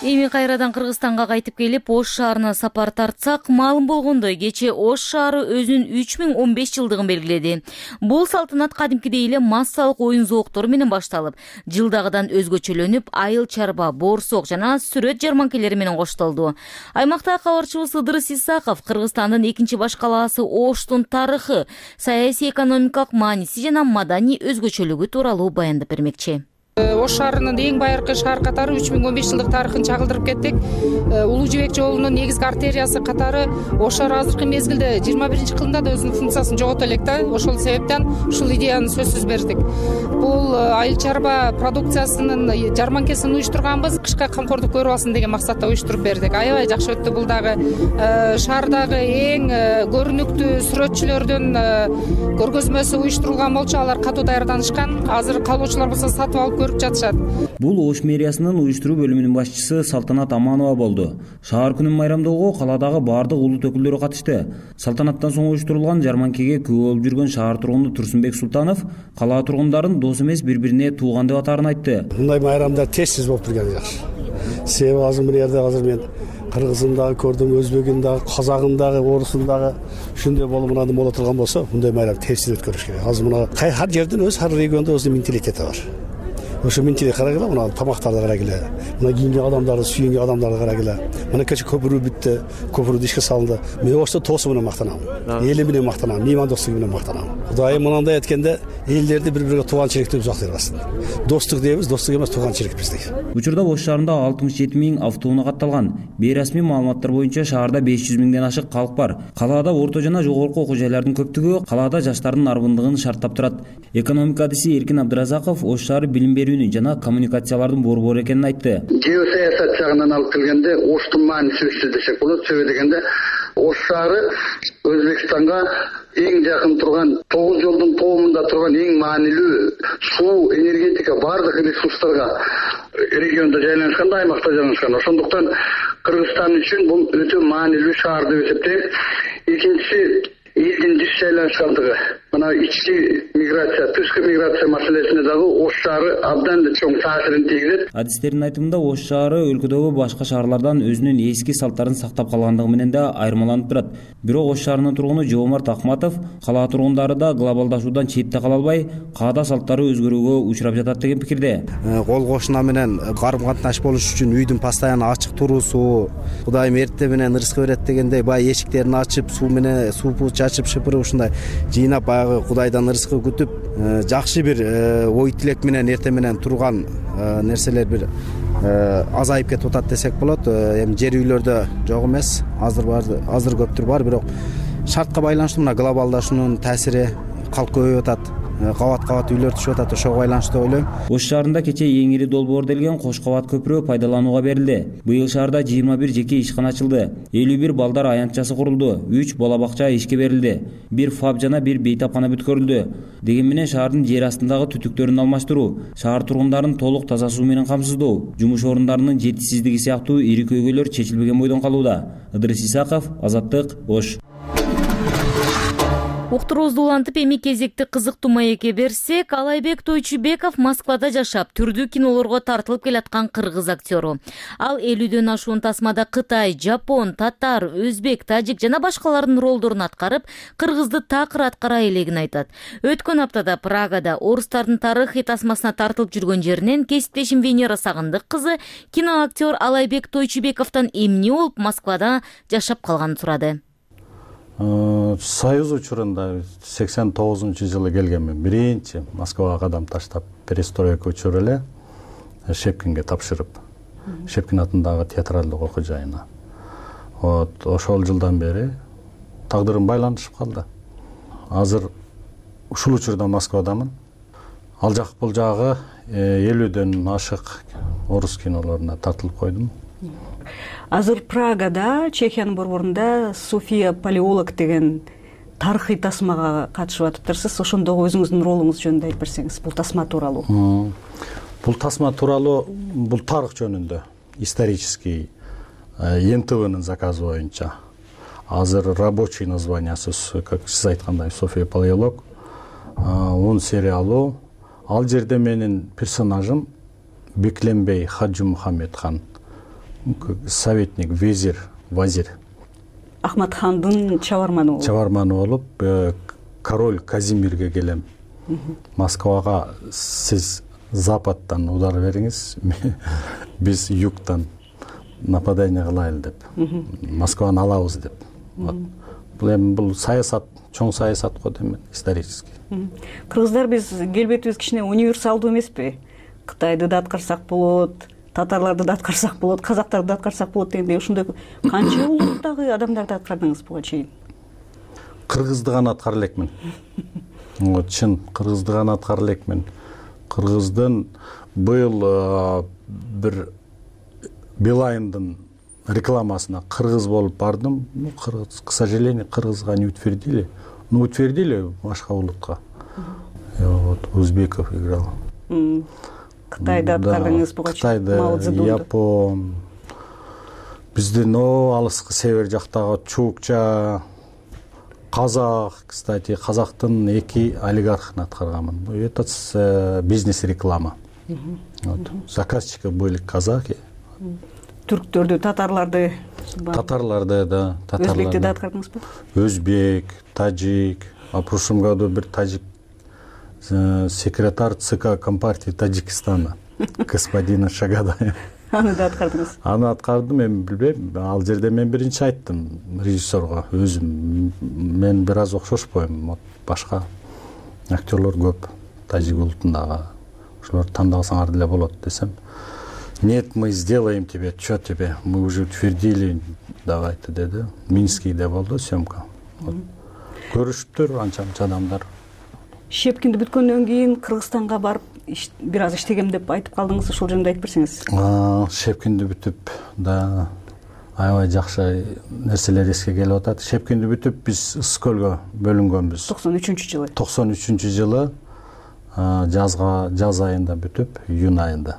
Эми кайрадан Кыргызстанга кайтып келип, Ош шаарына сапар тартсак, маалым болгондой, кечээ Ош шаары өзүнүн үч миң он беш жылдыгын белгиледи. Бул салтанат кадимкидей эле массалык оюн зооктор менен башталып, жылдагыдан өзгөчөлөнүп, айыл чарба, боорсок жана сүрөт жарманкелери менен коштолду. Аймакта кабарчыбыз Ыдырыс Исаков Кыргызстандын экинчи баш калаасы Оштун тарыхы, саясий экономикалык мааниси жана маданий өзгөчөлүгү тууралуу баяндап бермекчи. Ош шаарынын эң байыркы шаар катары үч миң он беш жылдык тарыхын чагылдырып кеттик. Улуу жибек жолунун негизги артериясы катары Ош шаары азыркы мезгилде жыйырма биринчи кылымда да өзүнүн функциясын жогото элек да. Ошол себептен ушул идеяны сөзсүз бердик. Бул айыл чарба продукциясынын жарманкесин уюштурганбыз, кышка камкордук көрүп алсын деген максатта уюштуруп бердик. Аябай жакшы өттү. Бул дагы шаардагы эң көрүнүктүү сүрөтчүлөрдүн көргөзмөсү уюштурулган болчу. Алар катуу даярданышкан. Азыр калуучулар болсо сатып алып көрүп жатышат. Бул Ош мэриясынын уюштуруу бөлүмүнүн башчысы Салтанат Аманова болду. Шаар күнүн майрамдоого каладагы бардык улут өкүлдөрү катышты. Салтанаттан соң уюштурулган жарманкеге күбө болуп жүргөн шаар тургуну Турсунбек Султанов кала тургундарын дос эмес бири-бирине тууган деп атаарын айтты. Мындай майрамдар тез-тез болуп турганы жакшы. Себеби азыр мына жерде азыр мен кыргызын дагы көрдүм, өзбөгүн дагы, казагын дагы, орусун дагы ушундай болуп мынаны боло турган болсо, мындай майрам тез өткөрүш керек. Азыр мына ар жердин өз ар региондо өз менталитети бар. Ошо менталитет карагыла, мына тамактарды карагыла, мына кийинген адамдарды, сүйүнгөн адамдарды карагыла. Мына кече көпүрүү бүттү, көпүрүү ишке салынды. Мен ошто тоосу менен мактанам, эли менен мактанам, меймандостугу менен мактанам. Кудайым мынандай айтканда, элдерди бири-бириге тууганчылыкты жактырбасын. Достук дейбиз, достук эмес тууганчылык биздики. Учурда Ош шаарында алтымыш жети миң автоунаа катталган. Бейрасмий маалыматтар боюнча шаарда беш жүз миңден ашык калк бар. Калаада орто жана жогорку окуу жайлардын көптүгү калаада жаштардын арбындыгын шарттап турат. Экономика адиси Эркин Абдыразаков Ош шаары билим берүүнү жана коммуникациялардын борбору экенин айтты. Геосаясат жагынан алып келгенде Оштун мааниси өссү десек болот. Себеби дегенде Ош шаары Өзбекстанга эң жакын турган тогуз жолдун тоомунда турган эң маанилүү суу, энергетика бардык ресурстарга региондо жайланышкан, аймакта жайланышкан. Ошондуктан Кыргызстан үчүн бул өтө маанилүү шаар деп эсептейм. Экинчиси элдин жыш жайланышкандыгы. Мына ички миграция, тышкы миграция маселесине дагы Ош шаары абдан чоң таасирин тийгизет. Адистердин айтымында Ош шаары өлкөдөгү башка шаарлардан өзүнүн эски салттарын сактап калгандыгы менен да айырмаланып турат. Бирок Ош шаарынын тургуну Жоомарт Акматов кала тургундары да глобалдашуудан четте кала албай, каада салттары өзгөрүүгө учурап жатат деген пикирде. Кол кошуна менен карым катнаш болуш үчүн үйдүн постоянно ачык туруусу, Кудайым эрте менен ырыскы берет дегендей, баягы эшиктерин ачып, суу менен суу чачып, шыпырып ушундай жыйнап Кудайдан ырыскы күтүп, жакшы бир ой тилек менен эрте менен турган нерселер бир азайып кетип атат десек болот. Эми жер үйлөрдө жок эмес, азыр бар, азыр көптүр бар, бирок шартка байланыштуу мына глобалдашуунун таасири калк көбөйүп атат. Кабат-кабат үйлөр түшүп атат, ошого байланыштуу деп ойлойм. Ош шаарында кечээ эң ири долбоор делген кош кабат көпүрө пайдаланууга берилди. Быйыл шаарда жыйырма бир жеке ишкана ачылды. элүү бир балдар аянтчасы курулду. үч бала бакча ишке берилди. бир фаб жана бир бейтапкана бүткөрүлдү. Деген менен шаардын жер астындагы түтүктөрүн алмаштыруу, шаар тургундарын толук таза суу менен камсыздоо, жумуш орундарынын жетишсиздиги сыяктуу ири көйгөйлөр чечилбеген бойдон калууда. Ыдырыс Исаков, Азаттык, Ош. Уктуруубузду улантып, эми кезекти кызыктуу маекке берсек, Алайбек Тойчубеков Москвада жашап, түрдүү кинолорго тартылып келаткан кыргыз актёру. Ал элүүдөн ашуун тасмада Кытай, Жапон, татар, өзбек, тажик жана башкалардын ролдорун аткарып, кыргызды такыр аткара элегин айтат. Өткөн аптада Прагада орустардын тарыхый тасмасына тартылып жүргөн жеринен кесиптешим Венера Сагындык кызы киноактер Алайбек Тойчубековдон эмне болуп Москвада жашап калганын сурады. союз учурунда сексен тогузунчу жылы келгенмин. Биринчи Москвага кадам таштап, перестройка учуру эле Шепкинге тапшырып, Шепкин атындагы театралдык окуу жайына. Вот ошол жылдан бери тагдырым байланышып калды. Азыр ушул учурда Москвадамын. Ал жак бул жагы элүүдөн ашык орус кинолоруна тартылып койдум. Азыр Прагада, Чехиянын борборунда София Палеолог деген тарыхый тасмага катышып атыптырсыз. Ошондогу өзүңүздүн ролуңуз жөнүндө айтып берсеңиз, бул тасма тууралуу. Бул тасма тууралуу, бул тарых жөнүндө, исторический эм тэ вэнын заказы боюнча. Азыр рабочий названиясы, как сиз айткандай, София Палеолог. Он сериалу. Ал жерде менин персонажым Бекленбей Хаджи Мухаммедхан, советник, везир, вазир. Ахматхандын чабарманы болуп. Чабарманы болуп, король Казимирге келем. Москвага сиз западтан удар бериңиз, биз югтан нападение кылайлы деп. Москваны алабыз деп. Бул эми бул саясат, чоң саясат го дейм, исторический. Кыргыздар биз келбетибиз кичине универсалдуу эмеспи? Кытайды да аткарсак болот, татарларды да аткарсак болот, казактарды да аткарсак болот дегендей, ушундай канча улуттагы адамдарды аткардыңыз буга чейин? Кыргызды гана аткара элекмин. Чын, кыргызды гана аткара элекмин. Кыргыздын быйыл бир Билайндын рекламасына кыргыз болуп бардым. Кыргыз, к сожалению, кыргызга не утвердили. Ну, утвердили башка улутка. Вот Узбеков играл. Кытайда аткардыңыз буга чейин? Кытайда, Япон, биздин алыскы север жактагы чукча, казак, кстати, казактын эки олигархын аткарганмын. Это бизнес-реклама. Заказчики были казаки. Түрктөрдү, татарларды, татарларды да, өзбекти да аткардыңызбы? Өзбек, таджик. А в прошлом году бир таджик секретарь ЦК Компартии Таджикистана, господина Шагадаев. Аны да аткардыңыз? Аны аткардым, эми билбейм. Ал жерде мен биринчи айттым режиссерго, өзүм мен бир аз окшошпойм, башка актерлор көп таджик улутундагы. Ошолорду тандасаңар деле болот десем. Нет, мы сделаем тебе, что тебе, мы уже утвердили, давайте, деди. Минскийде болду съемка. Көрүшүптүр анча-мынча адамдар. Шепкинди бүткөндөн кийин Кыргызстанга барып бир аз иштегем деп айтып калдыңыз, ошол жөнүндө айтып берсеңиз. Шепкинди бүтүп, да, аябай жакшы нерселер эске келип атат. Шепкинди бүтүп биз Ысык көлгө бөлүнгөнбүз. токсон үчүнчү жылы. токсон үчүнчү жылы жазга, жаз айында бүтүп, июнь айында.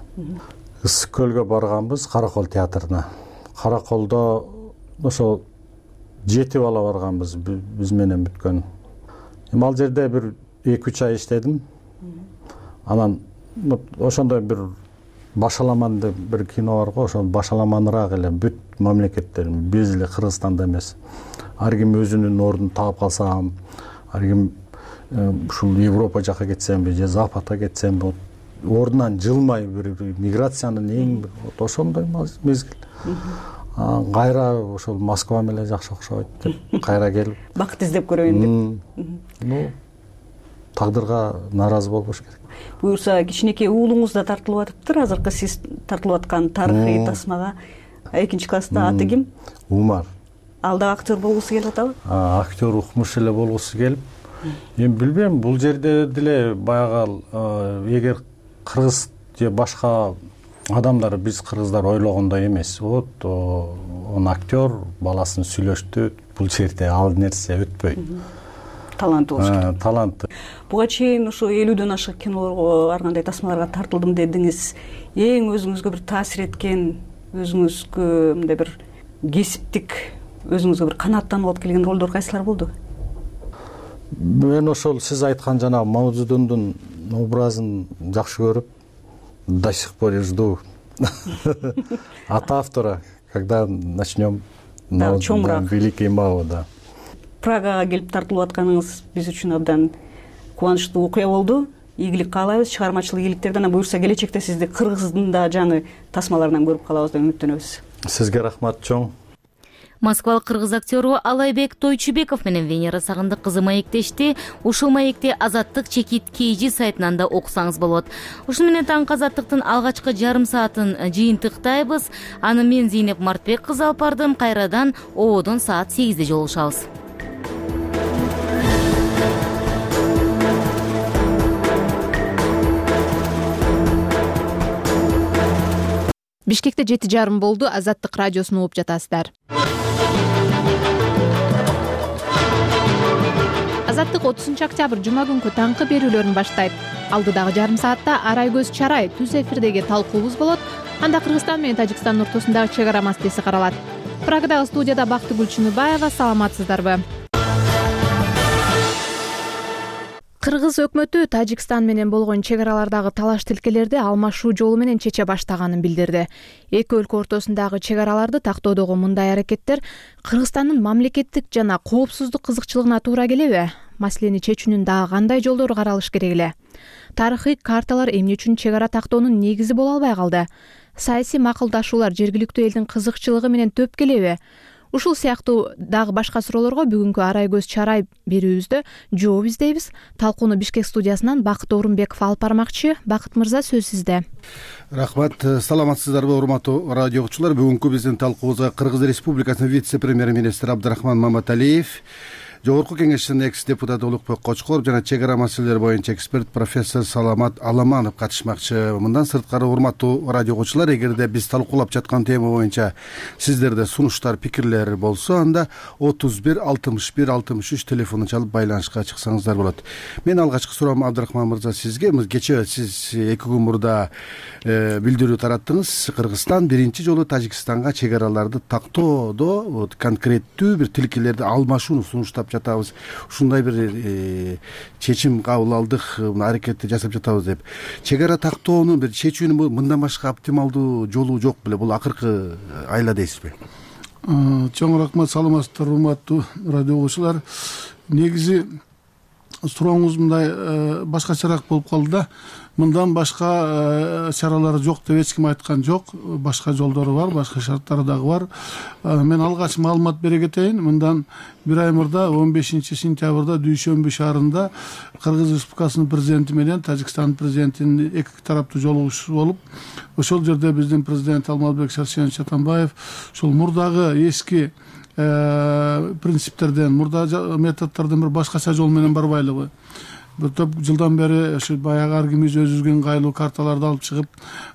Ысык көлгө барганбыз, Каракол театрына. Караколдо ошол жети бала барганбыз, биз менен бүткөн. Эми ал жерде бир эки үч ай иштедим. Анан ошондой бир башаламан деп бир кино бар го, ошол башаламаныраак эле бүт мамлекеттер, биз эле Кыргызстанда эмес. Ар ким өзүнүн ордун таап калсам, ар ким ушул Европа жака кетсемби, же Западка кетсемби, ордунан жылмай бир миграциянын эң ошондой мезгил. Кайра ошол Москва менен жакшы окшойт деп кайра келип бакыт издеп көрөйүн деп. Ну, тагдырга нааразы болбош керек. Буюрса, кичинекей уулуңуз да тартылып атыптыр. Азыркы сиз тартылып аткан тарыхый тасмага экинчи класста аты ким? Умар. Ал да актер болгусу келип атабы? Актер укмуш эле болгусу келип. Эми билбейм, бул жерде деле баягы эгер кыргыз же башка адамдар, биз кыргыздар ойлогондой эмес. Вот он актер, баласын сүйлөштү, бул жерде ал нерсе өтпөйт. Таланты болуш керек. Таланты. Буга чейин ошо элүүдөн ашык кинолорго, ар кандай тасмаларга тартылдым дедиңиз. Эң өзүңүзгө бир таасир эткен, өзүңүзгө мындай бир кесиптик, өзүңүзгө бир канааттанып алып келген ролдор кайсылар болду? Мен ошол сиз айткан жана Маудзедундун образын жакшы көрүп, до сих пор жду от автора, когда начнем великий Мао, да. Прагага келип тартылып атканыңыз биз үчүн абдан кубанычтуу окуя болду. Ийгилик каалайбыз, чыгармачылык ийгиликтерди. Анан буюрса келечекте сизди Кыргыздын да жаңы тасмаларынан көрүп калабыз деп үмүттөнөбүз. Сизге рахмат чоң. Москвалык кыргыз актеру Алайбек Тойчубеков менен Венера Сагындык кызы маектешти. Ушул маекти Азаттык чекит Кейжи сайтынан да окусаңыз болот. Ушуну менен таңкы Азаттыктын алгачкы жарым саатын жыйынтыктайбыз. Аны мен Зейнеп Мартбек кызы алып бардым. Кайрадан ободон саат сегизде жолугушабыз. Бишкекте жети жарым болду. Азаттык радиосун угуп жатасыздар. Азаттык отузунчу октябрь жума күнкү таңкы берүүлөрүн баштайт. Алдыдагы жарым саатта Арайгөз Чарай түз эфирдеги талкуубуз болот. Анда Кыргызстан менен Тажикстандын ортосундагы чек ара маселеси каралат. Прагадагы студияда Бактыгүл Чыныбаева. Саламатсыздарбы? Кыргыз өкмөтү Тажикстан менен болгон чек аралардагы талаш тилкелерди алмашуу жолу менен чече баштаганын билдирди. Эки өлкө ортосундагы чек араларды тактоодогу мындай аракеттер Кыргызстандын мамлекеттик жана коопсуздук кызыкчылыгына туура келеби? Маселени чечүүнүн дагы кандай жолдору каралыш керек эле? Тарыхый карталар эмне үчүн чек ара тактоонун негизи боло албай калды? Саясий макулдашуулар жергиликтүү элдин кызыкчылыгы менен төп келеби? Ушул сыяктуу дагы башка суроолорго бүгүнкү Арайгөз Чарай берүүбүздө жооп издейбиз. Талкууну Бишкек студиясынан Бакыт Орунбеков алып бармакчы. Бакыт мырза, сөз сизде. Рахмат. Саламатсыздарбы, урматтуу радио угуучулар? Бүгүнкү биздин талкуубузга Кыргыз Республикасынын вице-премьер-министри Абдрахман Маматалиев, Жогорку кеңештин экс-депутаты Улукбек Кочкоров жана чек ара маселелери боюнча эксперт профессор Саламат Аламанов катышмакчы. Мындан сырткары, урматтуу радио угуучулар, эгерде биз талкуулап жаткан тема боюнча сиздерде сунуштар, пикирлер болсо, анда отуз бир алтымыш бир алтымыш үч телефонун чалып байланышка чыксаңыздар болот. Мен алгачкы суроом Абдрахман мырза сизге. Кечээ сиз эки күн мурда билдирүү тараттыңыз. Кыргызстан биринчи жолу Тажикстанга чек араларды тактоодо конкреттүү бир тилкелерди алмашууну сунуштап жатабыз. Ушундай бир чечим кабыл алдык, аракетти жасап жатабыз деп. Чек ара тактоонун бир чечүүнүн мындан башка оптималдуу жолу жок беле? Бул акыркы айла дейсизби? Чоң рахмат, саламатсыздар, урматтуу радио угуучулар. Негизи сурооңуз мындай башкачараак болуп калды да. Мындан башка чаралар жок деп эч ким айткан жок. Башка жолдору бар, башка шарттары дагы бар. Мен алгач маалымат бере кетейин. Мындан бир ай мурда он бешинчи сентябрда Дүйшөмбү шаарында Кыргыз Республикасынын президенти менен Тажикстандын президентинин эки тараптуу жолугушуу болуп, ошол жерде биздин президент Алмазбек Шаршенович Атамбаев ушул мурдагы эски принциптерден, мурда методдордон бир башкача жол менен барбайлыгы, бир топ жылдан бери ушу баягы ар кимибиз өзүбүзгө ыңгайлуу карталарды алып чыгып,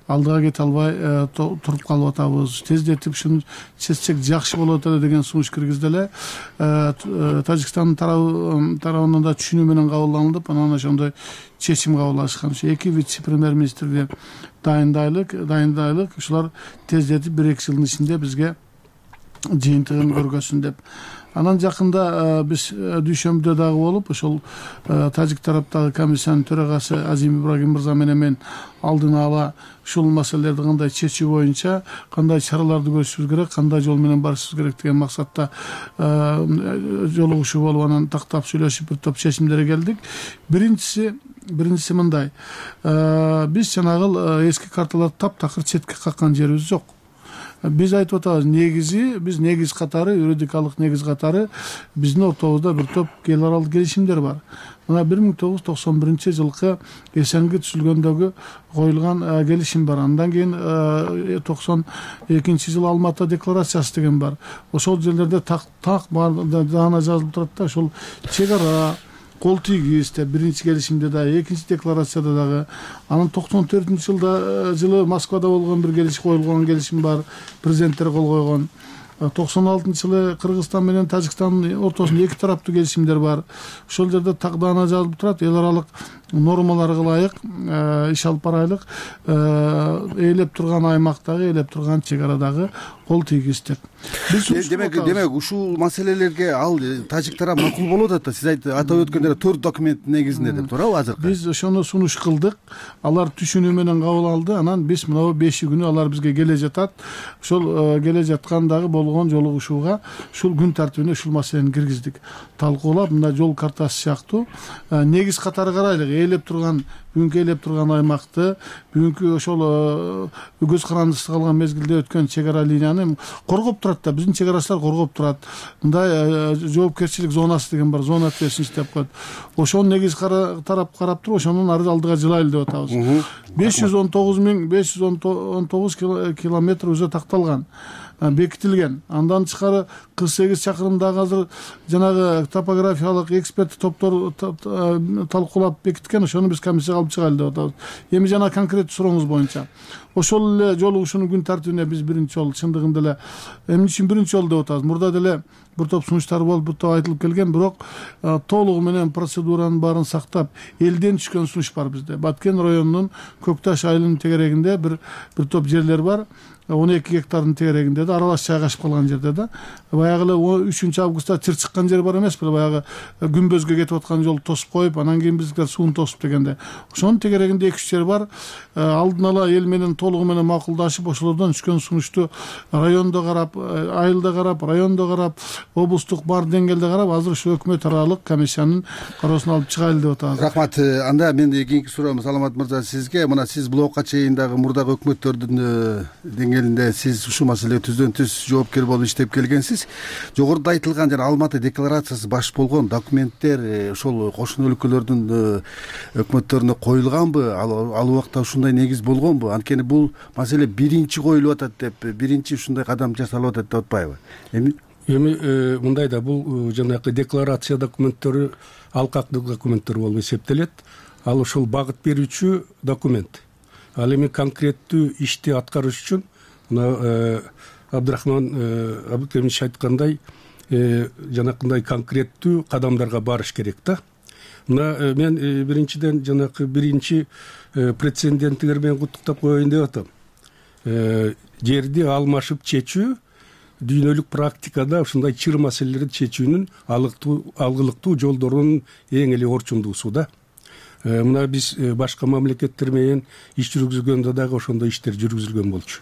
алдыга кете албай туруп калып атабыз. Тездетип ушуну чечсек жакшы болот эле деген сунуш киргизди эле. Тажикстандын тарабынан да түшүнүү менен кабылданылып, анан ошондой чечим кабыл алышкан. Ушу эки вице-премьер-министрге дайындайлык, дайындайлык, ушулар тездетип бир эки жылдын ичинде бизге жыйынтыгын көргөзсүн деп. Анан жакында биз Дүйшөмбүдө дагы болуп, ошол тажик тараптагы комиссиянын төрагасы Азим Ибрагим мырза менен мен алдын ала ушул маселелерди кандай чечүү боюнча кандай чараларды көрүшүбүз керек, кандай жол менен барышыбыз керек деген максатта жолугушуу болуп, анан тактап сүйлөшүп бир топ чечимдерге келдик. Биринчиси биринчиси мындай. Биз жанагы эски карталарды таптакыр четке каккан жерибиз жок. Биз айтып атабыз, негизи, биз негиз катары, юридикалык негиз катары биздин ортобузда бир топ эл аралык келишимдер бар. Мына бир миң тогуз жүз токсон биринчи жылкы Эсенги түзүлгөндөгү коюлган келишим бар. Андан кийин токсон экинчи жылы Алматы декларациясы деген бар. Ошол жерлерде так так даана жазылып турат да, ошол чек ара, кол тийгиз деп биринчи келишимде да, экинчи декларацияда дагы. Анан токсон төртүнчү жылда жылы Москвада болгон бир келишим коюлган келишим бар, президенттер кол койгон. токсон алтынчы жылы Кыргызстан менен Тажикстандын ортосунда эки тараптуу келишимдер бар. Ошол жерде тагдана жазылып турат, эл аралык нормаларга ылайык иш алып барайлык, ээлеп турган аймактагы, ээлеп турган чек арадагы кол тийгиз деп. Демек, демек ушул маселелерге ал тажик тарап макул болуп атат да. Сиз атап өткөндөр төрт документ негизинде деп туурабы азыр? Биз ошону сунуш кылдык. Алар түшүнүү менен кабыл алды. Анан биз мына беш күнү алар бизге келе жатат. Ошол келе жаткандагы болгон жолугушууга ушул күн тартибине ушул маселени киргиздик. Талкуулап, мына жол картасы сыяктуу негиз катары карайлык. Ээлеп турган бүгүнкү ээлеп турган аймакты, бүгүнкү ошол көз карандысыз калган мезгилде өткөн чек ара линияны коргоп турат да, биздин чек арачылар коргоп турат. Мындай жоопкерчилик зонасы деген бар, зона ответственности деп коет. Ошону негизи тарап карап туруп, ошонун алдыга жылайлы деп атабыз. беш жүз он тогуз миң беш жүз он тогуз километр өзү такталган, бекитилген. Андан тышкары кырк сегиз чакырымдагы азыр жанагы топографиялык эксперт топтор талкуулап бекиткен, ошону биз комиссияга алып чыгайлы деп атабыз. Эми жана конкреттүү сурооңуз боюнча ошол эле жолугушуунун күн тартибине биз биринчи жолу чындыгында эле эмне үчүн биринчи жолу деп атабыз. Мурда деле бир топ сунуштар болуп, бир топ айтылып келген, бирок толугу менен процедуранын баарын сактап, элден түшкөн сунуш бар бизде. Баткен районунун Көк Таш айылынын тегерегинде бир бир топ жерлер бар. он эки гектардын тегерегинде да, аралаш жайгашып калган жерде да. Баягы эле үчүнчү августта чыр чыккан жер бар эмеспи? Баягы күмбөзгө кетип аткан жолду тосуп коюп, анан кийин биздикилер сууну тосуп дегенде. Ошонун тегерегинде эки үч жер бар. Алдын ала эл менен толугу менен макулдашып, ошолордон түшкөн сунушту райондо карап, айылда карап, райондо карап, облустук бар деңгээлде карап, азыр ушу өкмөт аралык комиссиянын кароосуна алып чыгайлы деп атабыз. Рахмат. Анда мен кийинки суроом Саламат мырза сизге. Мына сиз блокка чейин дагы мурдагы өкмөттөрдүн деңгээлинде сиз ушул маселеге түздөн түз жоопкер болуп иштеп келгенсиз. Жогоруда айтылган жана Алматы декларациясы баш болгон документтер ошол кошуна өлкөлөрдүн өкмөттөрүнө коюлганбы? Ал убакта ушундай негиз болгонбу? Анткени бул маселе биринчи коюлуп атат деп, биринчи ушундай кадам жасалып атат деп атпайбы? Эми эми мындай да, бул жанагы декларация документтери алкактык документтер болуп эсептелет. Ал ошол багыт берүүчү документ. Ал эми конкреттүү ишти аткарыш үчүн мына Абдрахман Абдыкемич айткандай, жанакындай конкреттүү кадамдарга барыш керек да. Мына мен биринчиден жанакы биринчи прецеденттер менен куттуктап коеюн деп атам. Жерди алмашып чечүү дүйнөлүк практикада ушундай чыр маселелерди чечүүнүн алгылыктуу жолдорунун эң эле орчундуусу да. Мына биз башка мамлекеттер менен иш жүргүзгөндө дагы ошондой иштер жүргүзүлгөн болчу.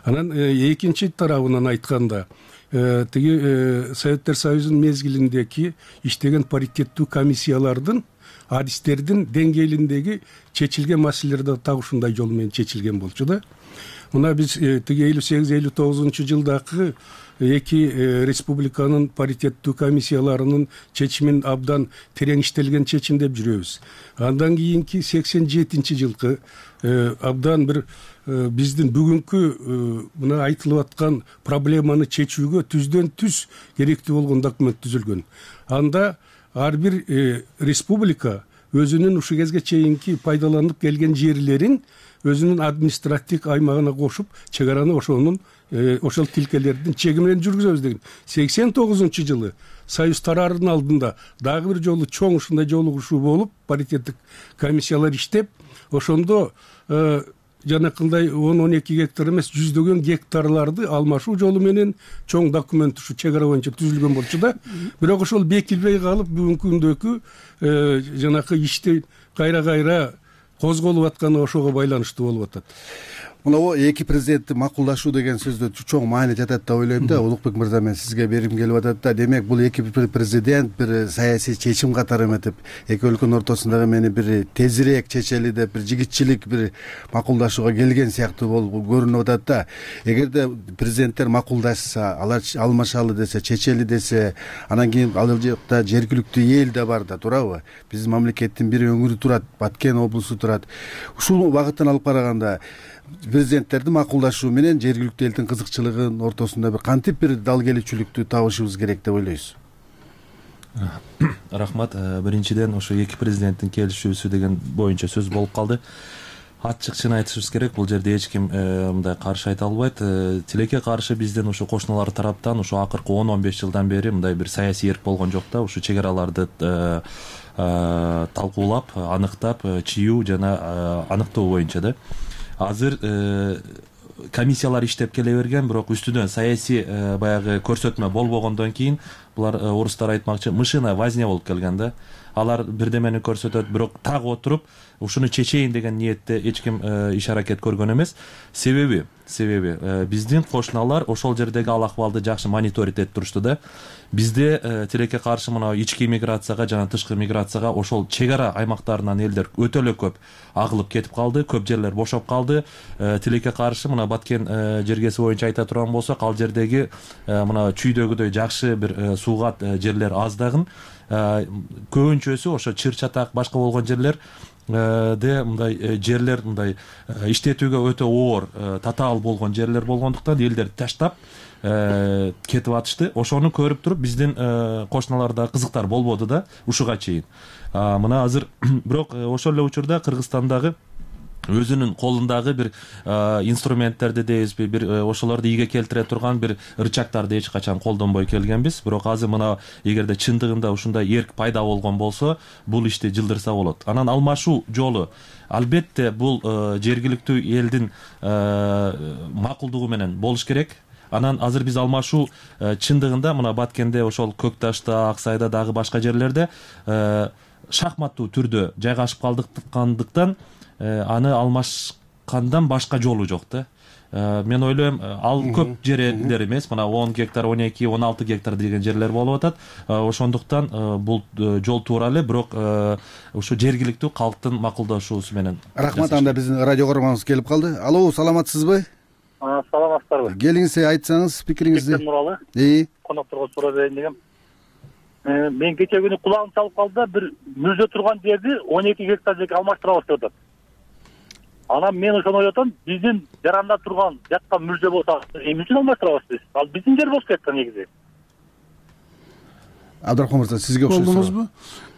Анан экинчи тарабынан айтканда, тиги Советтер Союзунун мезгилиндеги иштеген паритеттүү комиссиялардын адистердин деңгээлиндеги чечилген маселелер да так ушундай жол менен чечилген болчу да. Мына биз тиги элүү сегиз элүү тогузунчу жылдагы эки республиканын паритеттүү комиссияларынын чечимин абдан терең иштелген чечим деп жүрөбүз. Андан кийинки сексен жетинчи жылкы абдан бир биздин бүгүнкү мына айтылып аткан проблеманы чечүүгө түздөн түз керектүү болгон документ түзүлгөн. Анда ар бир республика өзүнүн ушу кезге чейинки пайдаланып келген жерлерин өзүнүн административдик аймагына кошуп, чек араны ошонун ошол тилкелердин чеги менен жүргүзөбүз деген. сексен тогузунчу жылы Союз тараарынын алдында дагы бир жолу чоң ушундай жолугушуу болуп, паритеттик комиссиялар иштеп, ошондо жанакындай он он эки гектар эмес, жүздөгөн гектарларды алмашуу жолу менен чоң документ ушу чек ара боюнча түзүлгөн болчу да. Бирок ошол бекилбей калып, бүгүнкү күндөгү жанакы ишти кайра кайра козголуп атканы ошого байланыштуу болуп атат. Мына эки президентти макулдашуу деген сөздө чоң маани жатат деп ойлойм да. Улукбек мырза, мен сизге бергим келип атат да. Демек бул эки президент бир саясий чечим катары эметип, эки өлкөнүн ортосундагы мени бир тезирээк чечели деп, бир жигитчилик бир макулдашууга келген сыяктуу болуп көрүнүп атат да. Эгерде президенттер макулдашса, алар алмашалы десе, чечели десе, анан кийин ал жакта жергиликтүү эл да бар да, туурабы? Биздин мамлекеттин бир өңүрү турат, Баткен облусу турат. Ушул багыттан алып караганда президенттердин макулдашуу менен жергиликтүү элдин кызыкчылыгынын ортосунда бир кантип бир дал келүүчүлүктү табышыбыз керек деп ойлойсуз? Рахмат. Биринчиден ошо эки президенттин келишүүсү деген боюнча сөз болуп калды. Ачык чын айтышыбыз керек, бул жерде эч ким мындай каршы айта албайт. Тилекке каршы биздин ошо кошуналар тараптан ошо акыркы он он беш жылдан бери мындай бир саясий эрк болгон жок да. Ушу чек араларды талкуулап, аныктап, чыюу жана аныктоо боюнча да. Азыр комиссиялар иштеп келе берген, бирок үстүнөн саясий баягы көрсөтмө болбогондон кийин булар орустар айтмакчы мышиная возня болуп келген да. Алар бирдемени көрсөтөт, бирок так отуруп ушуну чечейин деген ниетте эч ким иш аракет көргөн эмес. Себеби себеби биздин кошуналар ошол жердеги ал акыбалды жакшы мониторить этип турушту да. Бизде тилекке каршы мына ички миграцияга жана тышкы миграцияга ошол чек ара аймактарынан элдер өтө эле көп агылып кетип калды, көп жерлер бошоп калды. Тилекке каршы мына Баткен жергеси боюнча айта турган болсок, ал жердеги мына чүйдөгүдөй жакшы бир суугат жерлер аздагын. Көбүнчөсү ошо чыр чатак башка болгон жерлер де мындай жерлер мындай иштетүүгө өтө оор, татаал болгон жерлер болгондуктан элдер таштап кетип атышты. Ошону көрүп туруп биздин кошуналарда кызыктар болбоду да ушуга чейин. Мына азыр бирок ошол эле учурда Кыргызстандагы өзүнүн колундагы бир инструменттерди дейбизби, бир ошолорду ийге келтире турган бир рычагтарды эч качан колдонбой келгенбиз. Бирок азыр мына эгерде чындыгында ушундай эрк пайда болгон болсо, бул ишти жылдырса болот. Анан алмашуу жолу албетте бул жергиликтүү элдин макулдугу менен болуш керек. Анан азыр биз алмашуу чындыгында мына Баткенде, ошол Көк Ташта, Ак Сайда дагы башка жерлерде шахматтуу түрдө жайгашып калдыктан аны алмашкандан башка жолу жок да. Мен ойлойм, ал көп жерлер эмес, мына он гектар, он эки, он алты гектар деген жерлер болуп атат. Ошондуктан бул жол туура эле, бирок ушу жергиликтүү калктын макулдашуусу менен. Рахмат, анда биздин радио көрөрманыбыз келип калды. Алло, саламатсызбы? Саламатсыздарбы? Келиңиз, айтсаңыз пикириңизди. Кечен Нуралы. Ии. Конокторго суроо берейин дегем. Мен кече күнү кулагым чалып калды да, бир мүрзө турган жерди он эки гектар жерге алмаштырабыз деп атат. Анан мен ошону ойлоп атам, биздин жаранда турган жакка мүрзө болсо, эмне үчүн алмаштырабыз биз? Ал биздин жер болуш керек да негизи. Абдрахман мырза, сизге окшош. Болдуңузбу?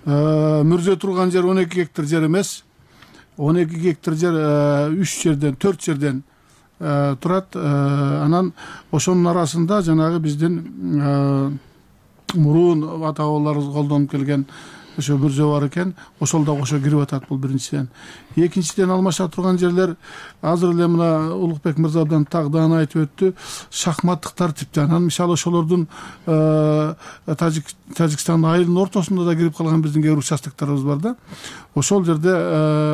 Мүрзө турган жер он эки гектар жер эмес. он эки гектар жер үч жерден, төрт жерден турат. Анан ошонун арасында жанагы биздин мурун ата бабаларыбыз колдонуп келген ошо мүрзө бар экен, ошол да кошо кирип атат. Бул биринчиден. Экинчиден, алмаша турган жерлер азыр эле мына Улукбек мырза абдан тагдан айтып өттү, шахматтык тартипте. Анан мисалы ошолордун Тажикстандын айылынын ортосунда да кирип калган биздин кээ бир участокторубуз бар да. Ошол жерде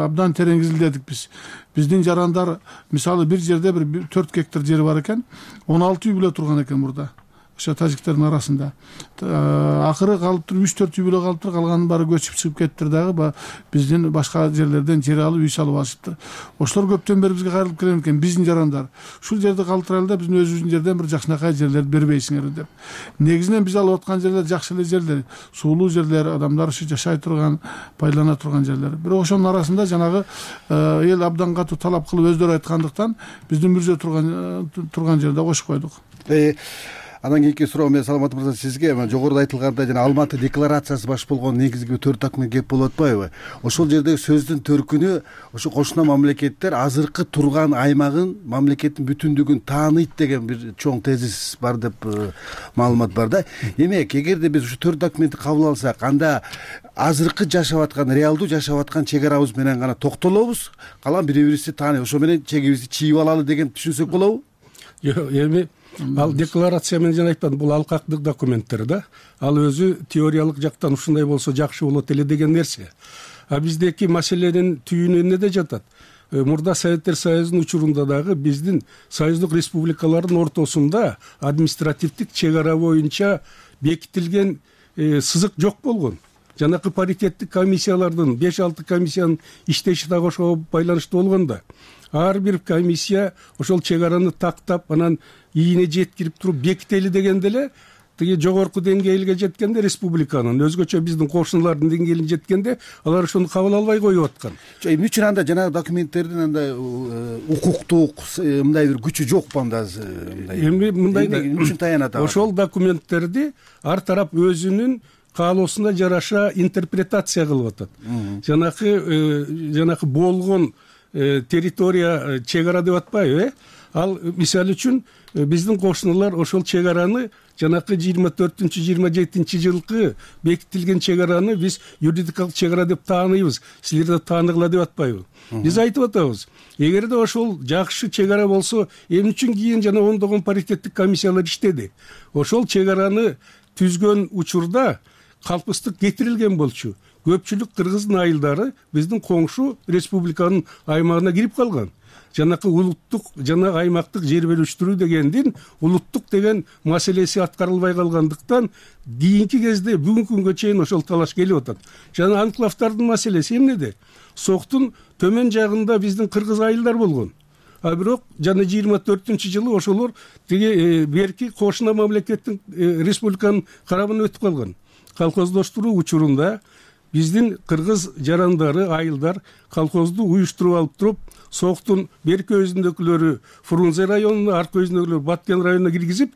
абдан терең изилдедик биз. Биздин жарандар мисалы бир жерде бир төрт гектар жери бар экен, он алты үй бүлө турган экен мурда. Ошо тажиктердин арасында. Акыры калып туруп үч төрт үй бүлө калып туруп, калганын баары көчүп чыгып кеттир дагы, биздин башка жерлерден жер алып үй салып алышыптыр. Ошолор көптөн бери бизге кайрылып келген экен, биздин жарандар. Ушул жерди калтырайлы да, биздин өзүбүздүн жерден бир жакшынакай жерлерди бербейсиңер деп. Негизинен биз алып аткан жерлер жакшы эле жерлер, суулуу жерлер, адамдар ушу жашай турган, байлана турган жерлер. Бирок ошонун арасында жанагы эл абдан катуу талап кылып өздөрү айткандыктан биздин мүрзө турган турган жерде кошуп койдук. Андан кийинки суроо мен Саламат мырза сизге, жогоруда айтылгандай жана Алматы декларациясы баш болгон негизги төрт документ кеп болуп атпайбы? Ошол жердеги сөздүн төркүнү ошо кошуна мамлекеттер азыркы турган аймагын, мамлекеттин бүтүндүгүн тааныйт деген бир чоң тезис бар деп маалымат бар да. Демек, эгерде биз ушу төрт документти кабыл алсак, анда азыркы жашап аткан, реалдуу жашап аткан чек арабыз менен гана токтолобуз, калган бири-бирибизди тааный, ошо менен чегибизди чийип алалы деген түшүнсөк болобу? Жок, эми ал декларация менен жана айтпадым, бул алкактык документтер да. Ал өзү теориялык жактан ушундай болсо жакшы болот эле деген нерсе. А биздеки маселенин түйүнү эмнеде жатат? Мурда Советтер Союзунун учурунда дагы биздин союздук республикалардын ортосунда административдик чек ара боюнча бекитилген сызык жок болгон. Жанакы паритеттик комиссиялардын беш алты комиссиянын иштеши дагы ошого байланыштуу болгондо. Ар бир комиссия ошол чек араны тактап, анан ийине жеткирип туруп бекители дегенде эле тиги жогорку деңгээлге жеткенде республиканын, өзгөчө биздин кошуналардын деңгээлине жеткенде алар ошону кабыл албай коюп аткан. Эмне үчүн анда жанагы документтердин андай укуктук мындай бир күчү жокпу анда? Эми мындай да, эмне үчүн таянат? Ошол документтерди ар тарап өзүнүн каалоосуна жараша интерпретация кылып атат. Жанакы жанакы болгон территория чек ара деп атпайбы, э? Ал мисалы үчүн биздин кошуналар ошол чек араны жанакы жыйырма төртүнчү жыйырма жетинчи жылкы бекитилген чек араны биз юридикалык чек ара деп тааныйбыз. Силер да тааныгыла деп атпайбы? Биз айтып атабыз. Эгерде ошол жакшы чек ара болсо, эмне үчүн кийин жана ондогон паритеттик комиссиялар иштеди? Ошол чек араны түзгөн учурда калпыстык кетирилген болчу. Көпчүлүк кыргыздын айылдары биздин коңшу республиканын аймагына кирип калган. Жанакы улуттук жана аймактык жер бөлүштүрүү дегендин улуттук деген маселеси аткарылбай калгандыктан кийинки кезде бүгүнкү күнгө чейин ошол талаш келип атат. Жана анклавдардын маселеси эмнеде? Соктун төмөн жагында биздин кыргыз айылдар болгон. А бирок жана жыйырма төртүнчү жылы ошолор тиги берки кошуна мамлекеттин республиканын карабына өтүп калган. Колхоздоштуруу учурунда биздин кыргыз жарандары, айылдар колхозду уюштуруп алып туруп, Соктун берки өзүндөгүлөрү Фрунзе районуна, аркы өзүндөгүлөрү Баткен районуна киргизип,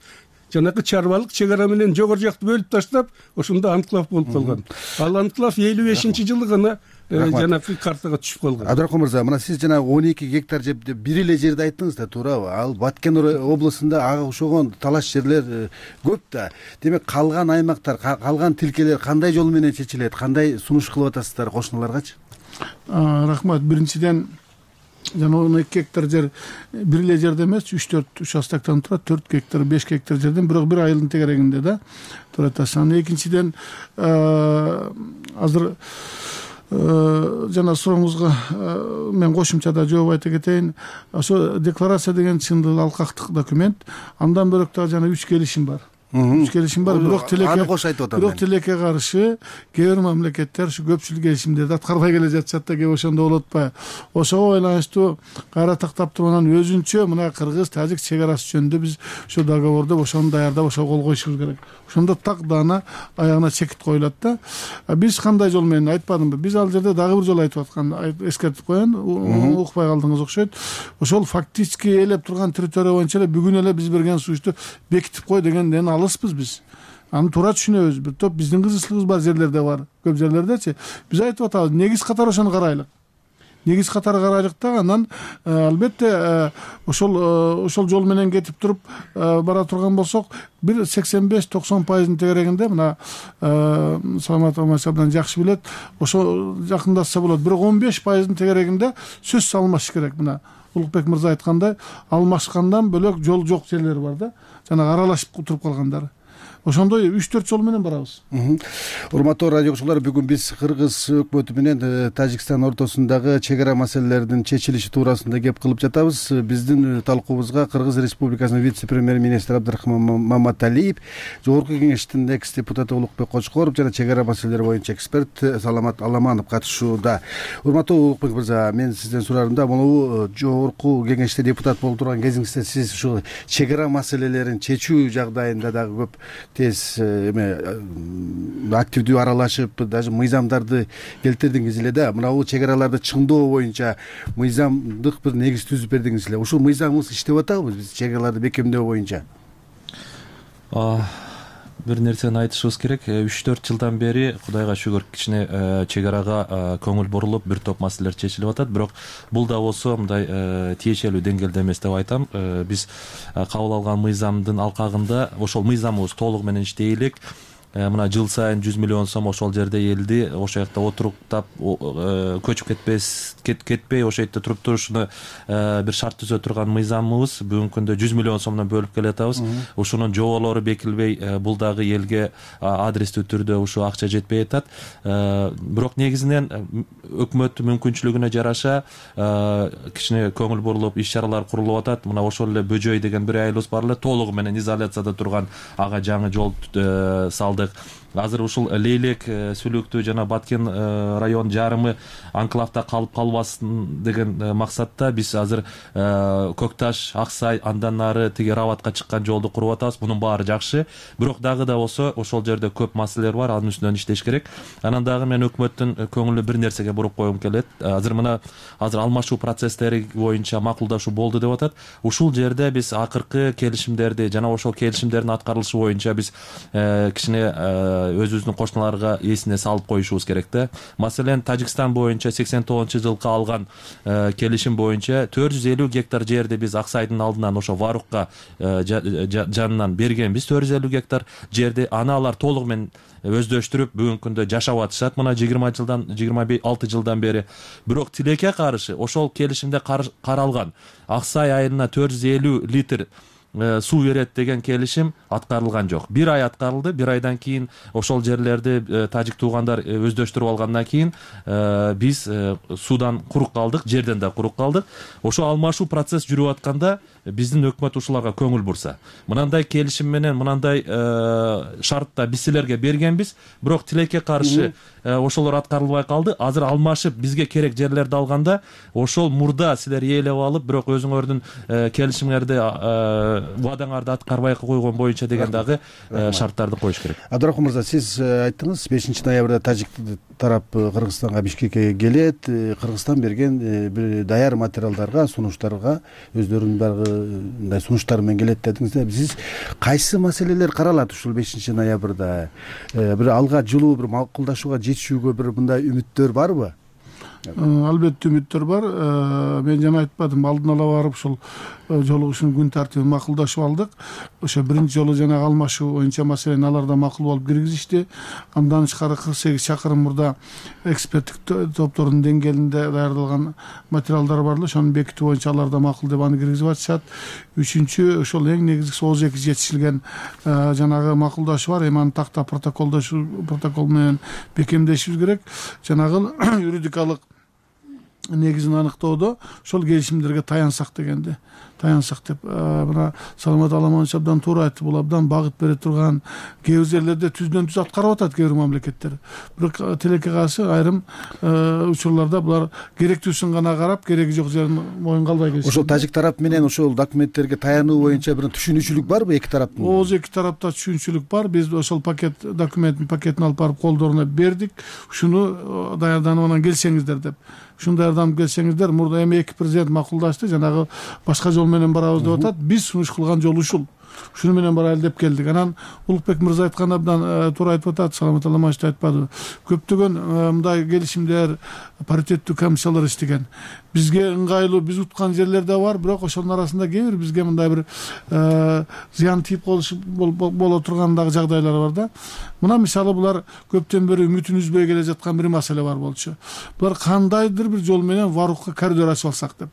жанакы чарбалык чек ара менен жогору жакты бөлүп таштап, ошондо анклав болуп калган. Ал анклав элүү бешинчи жылы гана жанакы картага түшүп калган. Абдрахман мырза, мына сиз жана он эки гектар жер деп бир эле жерди айттыңыз да, туурабы? Ал Баткен облусунда ага окшогон талаш жерлер көп да. Демек калган аймактар, калган тилкелер кандай жол менен чечилет? Кандай сунуш кылып атасыздар кошуналаргачы? Рахмат. Биринчиден жана он эки гектар жер бир эле жерде эмес, үч төрт участоктон турат, төрт гектар, беш гектар жерден бирок бир айылдын тегерегинде да турат. Анан экинчиден азыр жана сурооңузга мен кошумчада жооп айта кетейин. Ошо декларация деген чындыгы алкактык документ. Андан бөлөк дагы жана үч келишим бар. Үч келишим бар, бирок тилекке аны кош айтып атам. Бирок тилекке каршы кээ бир мамлекеттер ушу көпчүлүк келишимдерди аткарбай келе жатышат да, кээ ошондо болуп атпайбы? Ошого байланыштуу кайра тактап туруп анан өзүнчө мына кыргыз-тажик чек арасы жөнүндө биз ошо договорду ошону даярдап ошого кол коюшубуз керек. Ошондо так даана аягына чекит коюлат да. Биз кандай жол менен айтпадымбы? Биз ал жерде дагы бир жолу айтып аткан, эскертип коеюн, укпай калдыңыз окшойт. Ошол фактически ээлеп турган территория боюнча эле бүгүн эле биз берген сунушту бекитип кой дегенден алыспыз биз. Аны туура түшүнөбүз. Бир топ биздин кызычылыгыбыз бар жерлерде бар. Көп жерлердечи. Биз айтып атабыз, негиз катары ошону карайлык. Негиз катары карайлык да, анан албетте ошол ошол жол менен кетип туруп бара турган болсок, бир сексен беш токсон пайыздын тегерегинде мына Саламат Омаров абдан жакшы билет, ошо жакындашса болот. Бирок он беш пайыздын тегерегинде сөз салмаш керек. Мына Улукбек мырза айткандай, алмашкандан бөлөк жол жок жерлер бар да, жана аралашып туруп калгандары. Ошондой үч төрт жол менен барабыз. Урматтуу радио угуучулар, бүгүн биз Кыргыз өкмөтү менен Тажикстан ортосундагы чек ара маселелеринин чечилиши туурасында кеп кылып жатабыз. Биздин талкуубузга Кыргыз Республикасынын вице-премьер-министри Абдрахман Маматалиев, Жогорку кеңештин экс депутаты Улукбек Кочкоров жана чек ара маселелери боюнча эксперт Саламат Аламанов катышууда. Урматтуу Улукбек мырза, мен сизден сурарым да, могу Жогорку кеңеште депутат болуп турган кезиңизде сиз ушул чек ара маселелерин чечүү жагдайында дагы көп тез эме активдүү аралашып, даже мыйзамдарды келтирдиңиз эле да. Мына бул чек араларды чыңдоо боюнча мыйзамдык бир негиз түзүп бердиңиз эле. Ушул мыйзамыбыз иштеп атабы биз чек араларды бекемдөө боюнча? Бир нерсени айтышыбыз керек. үч төрт жылдан бери Кудайга шүгүр кичине чек арага көңүл бурулуп, бир топ маселелер чечилип атат. Бирок бул да болсо мындай тиешелүү деңгээлде эмес деп айтам. Биз кабыл алган мыйзамдын алкагында ошол мыйзамыбыз толугу менен иштей элек. Мына жыл сайын жүз миллион сом ошол жерде элди ошол жакта отуруктап көчүп кетпес кетпей ошол жерде туруп турушуну бир шарт түзө турган мыйзамыбыз бүгүнкү күндө жүз миллион сомдон бөлүп келатабыз. Ушунун жоболору бекилбей, бул дагы элге адрестүү түрдө ушу акча жетпей атат. Бирок негизинен өкмөт мүмкүнчүлүгүнө жараша кичине көңүл бурулуп иш чаралар курулуп атат. Мына ошол эле Бөжөй деген бир айылыбыз бар эле, толугу менен изоляцияда турган, ага жаңы жол салды. Азыр ушул Лейлек, Сүлүктүү жана Баткен район жарымы анклавда калып калбасын деген максатта биз азыр Көкташ, Аксай, андан нары тиги Рабатка чыккан жолду куруп атабыз. Мунун баары жакшы. Бирок дагы да болсо ошол жерде көп маселелер бар, анын үстүнөн иштеш керек. Анан дагы мен өкмөттүн көңүлү бир нерсеге буруп койгум келет. Азыр мына азыр алмашуу процесстери боюнча макулдашуу болду деп атат. Ушул жерде биз акыркы келишимдерди жана ошол келишимдердин аткарылышы боюнча биз кичине өзүбүздүн кошуналарга эсине салып коюшубуз керек да. Маселен, Тажикстан боюнча сексен тогузунчу жылкы алган келишим боюнча төрт жүз элүү гектар жерди биз Аксайдын алдынан ошо Варукка жанынан бергенбиз. төрт жүз элүү гектар жерди аны алар толугу менен өздөштүрүп бүгүнкү күндө жашап атышат. Мына жыйырма жылдан жыйырма алты жылдан бери. Бирок тилекке каршы ошол келишимде каралган Аксай айылына төрт жүз элүү литр суу берет деген келишим аткарылган жок. Бир ай аткарылды. Бир айдан кийин ошол жерлерди тажик туугандар өздөштүрүп алгандан кийин биз суудан курук калдык, жерден да курук калдык. Ошо алмашуу процесс жүрүп атканда биздин өкмөт ушуларга көңүл бурса, мынандай келишим менен мынандай шартта биз силерге бергенбиз, бирок тилекке каршы ошолор аткарылбай калды. Азыр алмашып бизге керек жерлерди алганда ошол мурда силер ээлеп алып, бирок өзүңөрдүн келишимиңерди, убадаңарды аткарбай койгон боюнча деген дагы шарттарды коюш керек. Абдрахман мырза, сиз айттыңыз бешинчи ноябрда тажик тарап Кыргызстанга, Бишкекке келет. Кыргызстан берген бир даяр материалдарга, сунуштарга өздөрүнүн дагы мындай сунуштары менен келет дедиңиз да. Сиз кайсы маселелер каралат ушул бешинчи ноябрда? Бир алга жылуу, бир макулдашууга жетишүүгө бир мындай үмүттөр барбы? Албетте үмүттөр бар. Мен жана айтпадым, алдын ала барып ушул жолугушуунун күн тартибин макулдашып алдык. Ошо биринчи жолу жанагы алмашуу боюнча маселени алар да макул болуп киргизишти. Андан тышкары кырк сегиз чакырым мурда эксперттик топтордун деңгээлинде даярдалган материалдар бар эле. Ошону бекитүү боюнча алар да макул деп аны киргизип атышат. Үчүнчү, ошол эң негизгиси отуз эки жетишилген жанагы макулдашуу бар. Эми аны такта протоколдошуу протокол менен бекемдешибиз керек. Жанагы юридикалык негизин аныктоодо ошол келишимдерге таянсак дегенде, таянсак деп мына Саламат Аламанович абдан туура айтты. Бул абдан багыт бере турган, кээ бир жерлерде түздөн түз аткарып атат кээ бир мамлекеттер. Бирок тилекке каршы айрым учурларда булар керектүүсүн гана карап, кереги жок жерин моюнга албай келишет. Ошол тажик тарап менен ошол документтерге таянуу боюнча бир түшүнүүчүлүк барбы эки тараптын? Ооз эки тарапта түшүнүүчүлүк бар. Биз ошол пакет документтин пакетин алып барып колдоруна бердик. Ушуну даярданып анан келсеңиздер деп. Ушуну даярданып келсеңиздер, мурда эми эки президент макулдашты, жанагы башка жол менен барабыз деп атат. Биз сунуш кылган жол ушул. Ушуну менен барайлы деп келдик. Анан Улукбек мырза айткан абдан туура айтып атат, Саламат Аламанович айтпадыбы? Көптөгөн мындай келишимдер, паритеттүү комиссиялар иштеген. Бизге ыңгайлуу, биз уткан жерлер да бар, бирок ошонун арасында кээ бир бизге мындай бир зыян тийип боло турган дагы жагдайлар бар да. Мына мисалы булар көптөн бери үмүтүн үзбөй келе жаткан бир маселе бар болчу. Булар кандайдыр бир жол менен Варукка коридор ачып алсак деп.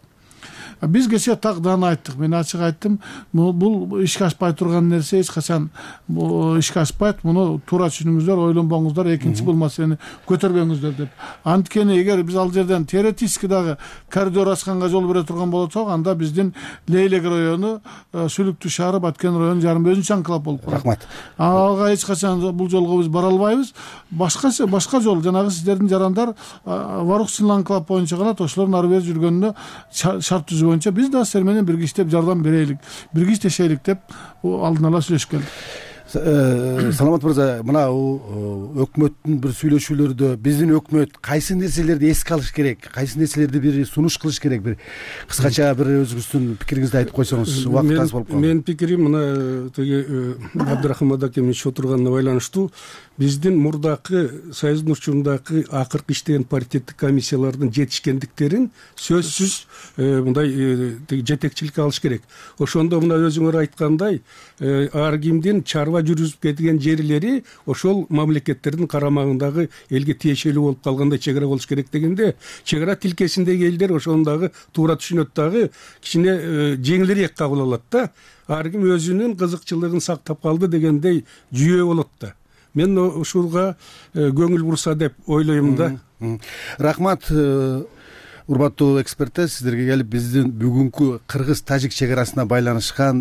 Биз кечээ так даана айттык. Мен ачык айттым, бул ишке ашпай турган нерсе эч качан ишке ашпайт. Муну туура түшүнүңүздөр, ойлонбоңуздар, экинчи бул маселени көтөрбөңүздөр деп. Анткени эгер биз ал жерден теоретически дагы коридор ачканга жол бере турган болсок, анда биздин Лейлек району, Сүлүктүү шаары, Баткен району жарым өзүнчө анклав болуп калат. Рахмат. Ага эч качан бул жолго биз бара албайбыз. Башкача башка жол, жанагы сиздердин жарандар Варук анклав боюнча калат. Ошолордун ары бери жүргөнүнө шарт түзүү боюнча биз да силер менен бирге иштеп жардам берелик, бирге иштешелик деп алдын ала сүйлөшүп келдик. Саламат мырза, мына өкмөттүн бир сүйлөшүүлөрдө биздин өкмөт кайсы нерселерди эске алыш керек, кайсы нерселерди бир сунуш кылыш керек, бир кыскача бир өзүңүздүн пикириңизди айтып койсоңуз, убакыт аз болуп калды. Менин пикирим мына тиги Абдрахман акем иши отурганына байланыштуу. Биздин мурдакы Союздун учурундагы акыркы иштеген паритеттик комиссиялардын жетишкендиктерин сөзсүз мындай жетекчиликке алыш керек. Ошондо мына өзүңөр айткандай, ар кимдин чарба жүргүзүп кеткен жерлери ошол мамлекеттердин карамагындагы элге тиешелүү болуп калгандай чек ара болуш керек дегенде, чек ара тилкесиндеги элдер ошону дагы туура түшүнөт, дагы кичине жеңилирээк кабыл алат да. Ар ким өзүнүн кызыкчылыгын сактап калды дегендей жүйө болот да. Мен ушулга көңүл бурса деп ойлойм да. Рахмат. Урматтуу эксперттер, сиздерге келип биздин бүгүнкү кыргыз-тажик чек арасына байланышкан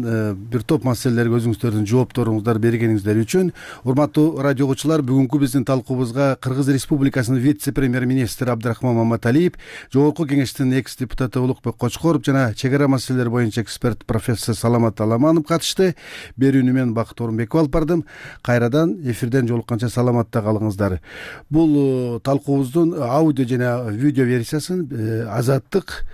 бир топ маселелерге өзүңүздөрдүн жоопторуңуздар бергениңиздер үчүн. Урматтуу радио угуучулар, бүгүнкү биздин талкуубузга Кыргыз Республикасынын вице-премьер-министри Абдрахман Маматалиев, Жогорку Кеңештин экс-депутаты Улукбек Кочкоров жана чек ара маселелери боюнча эксперт профессор Саламат Аламанов катышты. Берүүнү мен Бакыт Орунбеков алып бардым. Кайрадан эфирден жолукканча саламатта калыңыздар. Бул талкуубуздун аудио жана видео версиясын Азаттык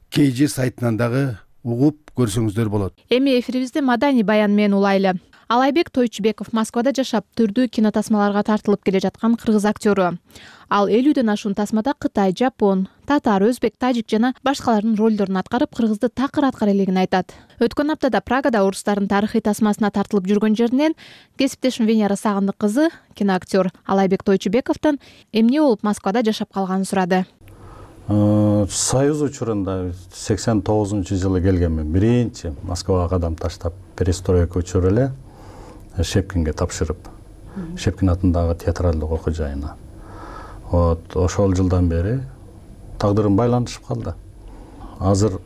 кей же сайтынан дагы угуп көрсөңүздөр болот. Эми эфирибизде маданий баян менен улайлы. Алайбек Тойчубеков Москвада жашап, түрдүү кинотасмаларга тартылып келе жаткан кыргыз актёру. Ал элүүдөн ашуун тасмада Кытай, Жапон, татар, өзбек, тажик жана башкалардын ролдорун аткарып, кыргызды такыр аткара элегин айтат. Өткөн аптада Прагада орустардын тарыхый тасмасына тартылып жүргөн жеринен кесиптешим Венера Сагындык кызы, киноактер Алайбек Тойчубековдон эмне болуп Москвада жашап калганын сурады. союз учурунда сексен тогузунчу жылы келгенмин. Биринчи Москвага кадам таштап, перестройка учуру эле Шепкинге тапшырып, Шепкин атындагы театралдык окуу жайына. Вот ошол жылдан бери тагдырым байланышып калды. Азыр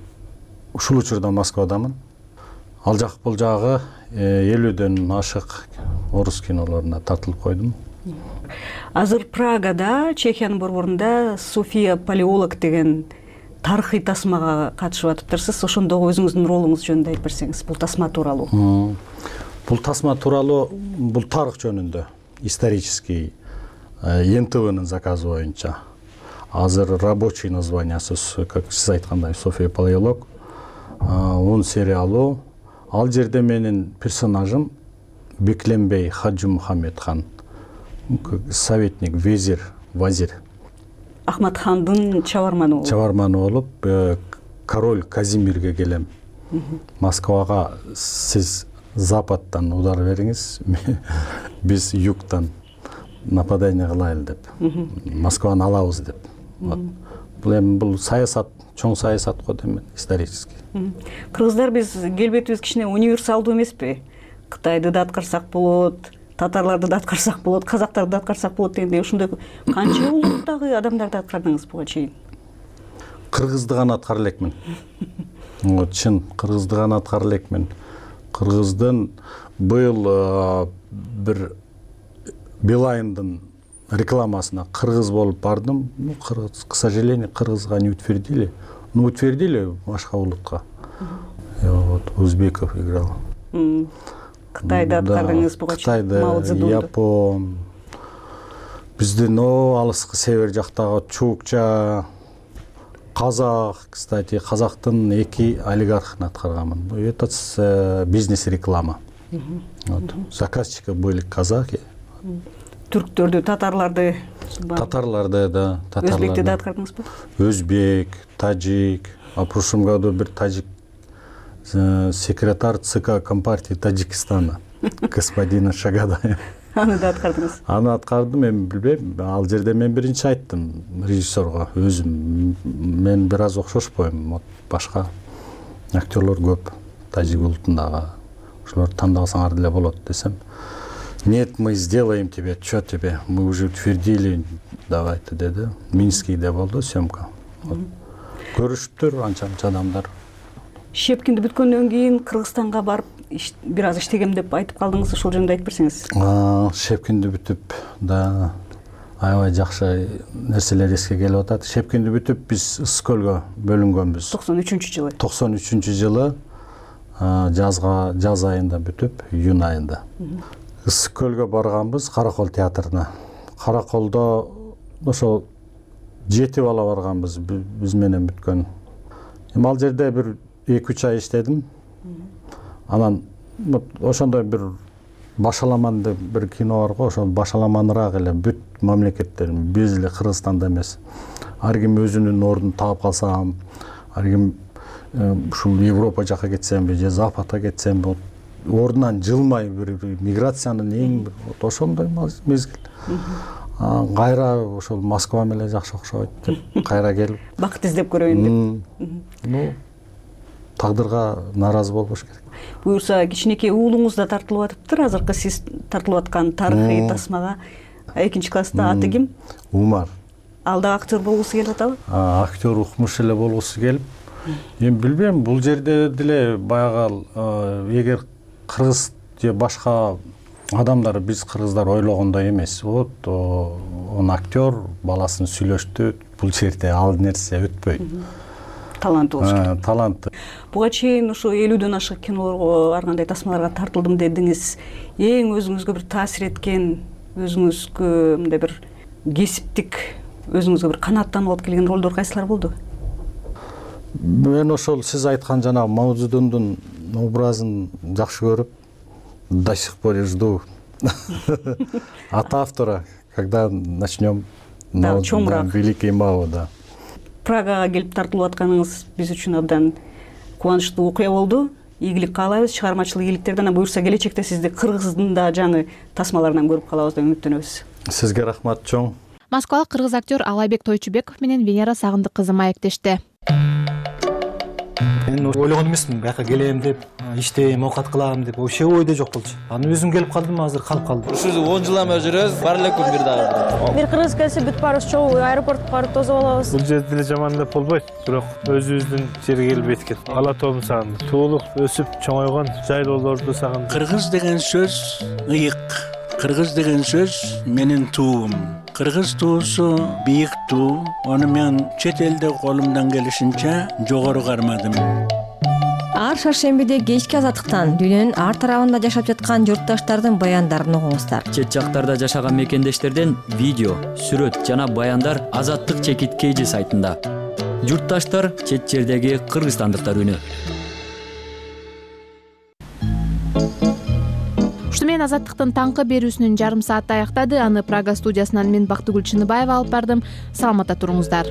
ушул учурда Москвадамын. Ал жак бул жагы элүүдөн ашык орус кинолоруна тартылып койдум. Азыр Прагада, Чехиянын борборунда София Палеолог деген тарыхый тасмага катышып атыптырсыз. Ошондогу өзүңүздүн ролуңуз жөнүндө айтып берсеңиз, бул тасма тууралуу. Бул тасма тууралуу, бул тарых жөнүндө, исторический эн тэ вэнин заказы боюнча. Азыр рабочий названиясы, как сиз айткандай, София Палеолог. Он сериалу. Ал жерде менин персонажым Бекленбей Хаджи Мухаммедхан, советник, везир, вазир. Ахматхандын чабарманы болуп. Чабарманы болуп, король Казимирге келем. Москвага сиз западтан удар бериңиз, биз югтан нападение кылайлы деп. Москваны алабыз деп. Бул эми бул саясат, чоң саясат го дейм, исторический. Кыргыздар биз келбетибиз кичине универсалдуу эмеспи? Кытайды да аткарсак болот, татарларды да аткарсак болот, казактарды да аткарсак болот дегендей, ушундай канча улуттагы адамдарды аткардыңыз буга чейин? Кыргызды гана аткара элекмин. Чын, кыргызды гана аткара элекмин. Кыргыздын быйыл бир Билайндын рекламасына кыргыз болуп бардым. Ну, кыргыз, к сожалению, кыргызга не утвердили. Ну, утвердили башка улутка. Вот Узбеков играл. Кытайда аткардыңыз буга чейин? Кытайда, Япон, биздин алыскы север жактагы чукча, казак, кстати, казактын эки олигархын аткарганмын. Это бизнес-реклама. Вот. Заказчики были казаки. Түрктөрдү, татарларды? Татарларды, да. Өзбекти да аткардыңызбы? Өзбек, таджик. А в прошлом году бир таджик секретарь ЦК Компартии Таджикистана, господина Шагадаев. Аны да аткардыңыз? Аны аткардым, эми билбейм. Ал жерде мен биринчи айттым режиссерго, өзүм мен бир аз окшошпойм, вот башка актерлор көп таджик улутундагы. Ошолорду тандасаңар деле болот десем. Нет, мы сделаем тебе, что тебе, мы уже утвердили, давайте, деди. Минскийде болду съемка. Көрүшүптүр анча-анча адамдар. Шепкинди бүткөндөн кийин Кыргызстанга барып бир аз иштегем деп айтып калдыңыз, ошол жөнүндө айтып берсеңиз. Шепкинди бүтүп, да, аябай жакшы нерселер эске келип атат. Шепкинди бүтүп биз Ысык көлгө бөлүнгөнбүз. токсон үчүнчү жылы. токсон үчүнчү жылы жазга, жаз айында бүтүп, июнь айында. Ысык көлгө барганбыз, Каракол театрына. Караколдо ошол жети бала барганбыз, биз менен бүткөн. Эми ал жерде бир эки үч ай иштедим. Анан ошондой бир башаламан деп бир кино бар го, ошол башаламаныраак эле бүт мамлекеттер, биз эле Кыргызстанда эмес. Ар ким өзүнүн ордун таап калсам, ар ким ушул Европа жака кетсемби, же Западка кетсемби, ордунан жылмай бир миграциянын эң бир ошондой мезгил. Кайра ошол Москва менен жакшы окшойт деп кайра келип бакыт издеп көрөйүн деп. Ну, тагдырга нааразы болбош керек. Буюрса, кичинекей уулуңуз да тартылып атыптыр. Азыркы сиз тартылып аткан тарыхый тасмага экинчи класста аты ким? Умар. Ал да актер болгусу келип атабы? Актер укмуш эле болгусу келип. Эми билбейм, бул жерде деле баягы эгер кыргыз же башка адамдар, биз кыргыздар ойлогондой эмес. Вот он актер баласын сүйлөштү, бул жерде ал нерсе өтпөйт. Талант болуш керек. Талант. Буга чейин ушу элүүдөн ашык кинолорго, ар кандай тасмаларга тартылдым дедиңиз. Эң өзүңүзгө бир таасир эткен, өзүңүзгө мындай бир кесиптик, өзүңүзгө бир канааттанып алып келген ролдор кайсылар болду? Мен ошол сиз айткан жана Мао Цзэдундун образын жакшы көрүп, до сих пор жду от автора, когда начнем великий Мао, да. Прагага келип тартылып атканыңыз биз үчүн абдан кубанычтуу окуя болду. Ийгилик каалайбыз, чыгармачылык ийгиликтерди. Анан буюрса келечекте сизди Кыргыздын да жаңы тасмаларынан көрүп калабыз деп үмүттөнөбүз. Сизге рахмат чоң. Москвалык кыргыз актер Алайбек Тойчубеков менен Венера Сагындык кызы маектешти. Мен ойлогон эмесмин бияка келем деп, иштейм, оокат кылам деп, вообще ойдо жок болчу. Анан өзүм келип калдым, азыр калып калдым. Ушул он жыл эме жүрөбүз, бар элекпи бир дагы. Бир кыргыз келсе бүт баарыбыз чогуу аэропортко барып тосуп алабыз. Бул жерде деле жаман деп болбойт, бирок өзүбүздүн жерге келбейт экен. Ала тоомду сагындым. Туулуп, өсүп, чоңойгон жайлоолорду сагындым. Кыргыз деген сөз ыйык. Кыргыз деген сөз менин туум. Кыргыз туусу бийик туу. Аны мен чет элде колумдан келишинче жогору кармадым. Ар шаршембиде кечки азаттыктан дүйнөнүн ар тарабында жашап жаткан журтташтардын баяндарын угуңуздар. Чет жактарда жашаган мекендештерден видео, сүрөт жана баяндар Азаттык чекит кейжи сайтында. Журтташтар чет жердеги кыргызстандыктар үнү. Ушуну менен Азаттыктын таңкы берүүсүнүн жарым сааты аяктады. Аны Прага студиясынан мен Бактыгүл Чыныбаева алып бардым. Саламатта туруңуздар.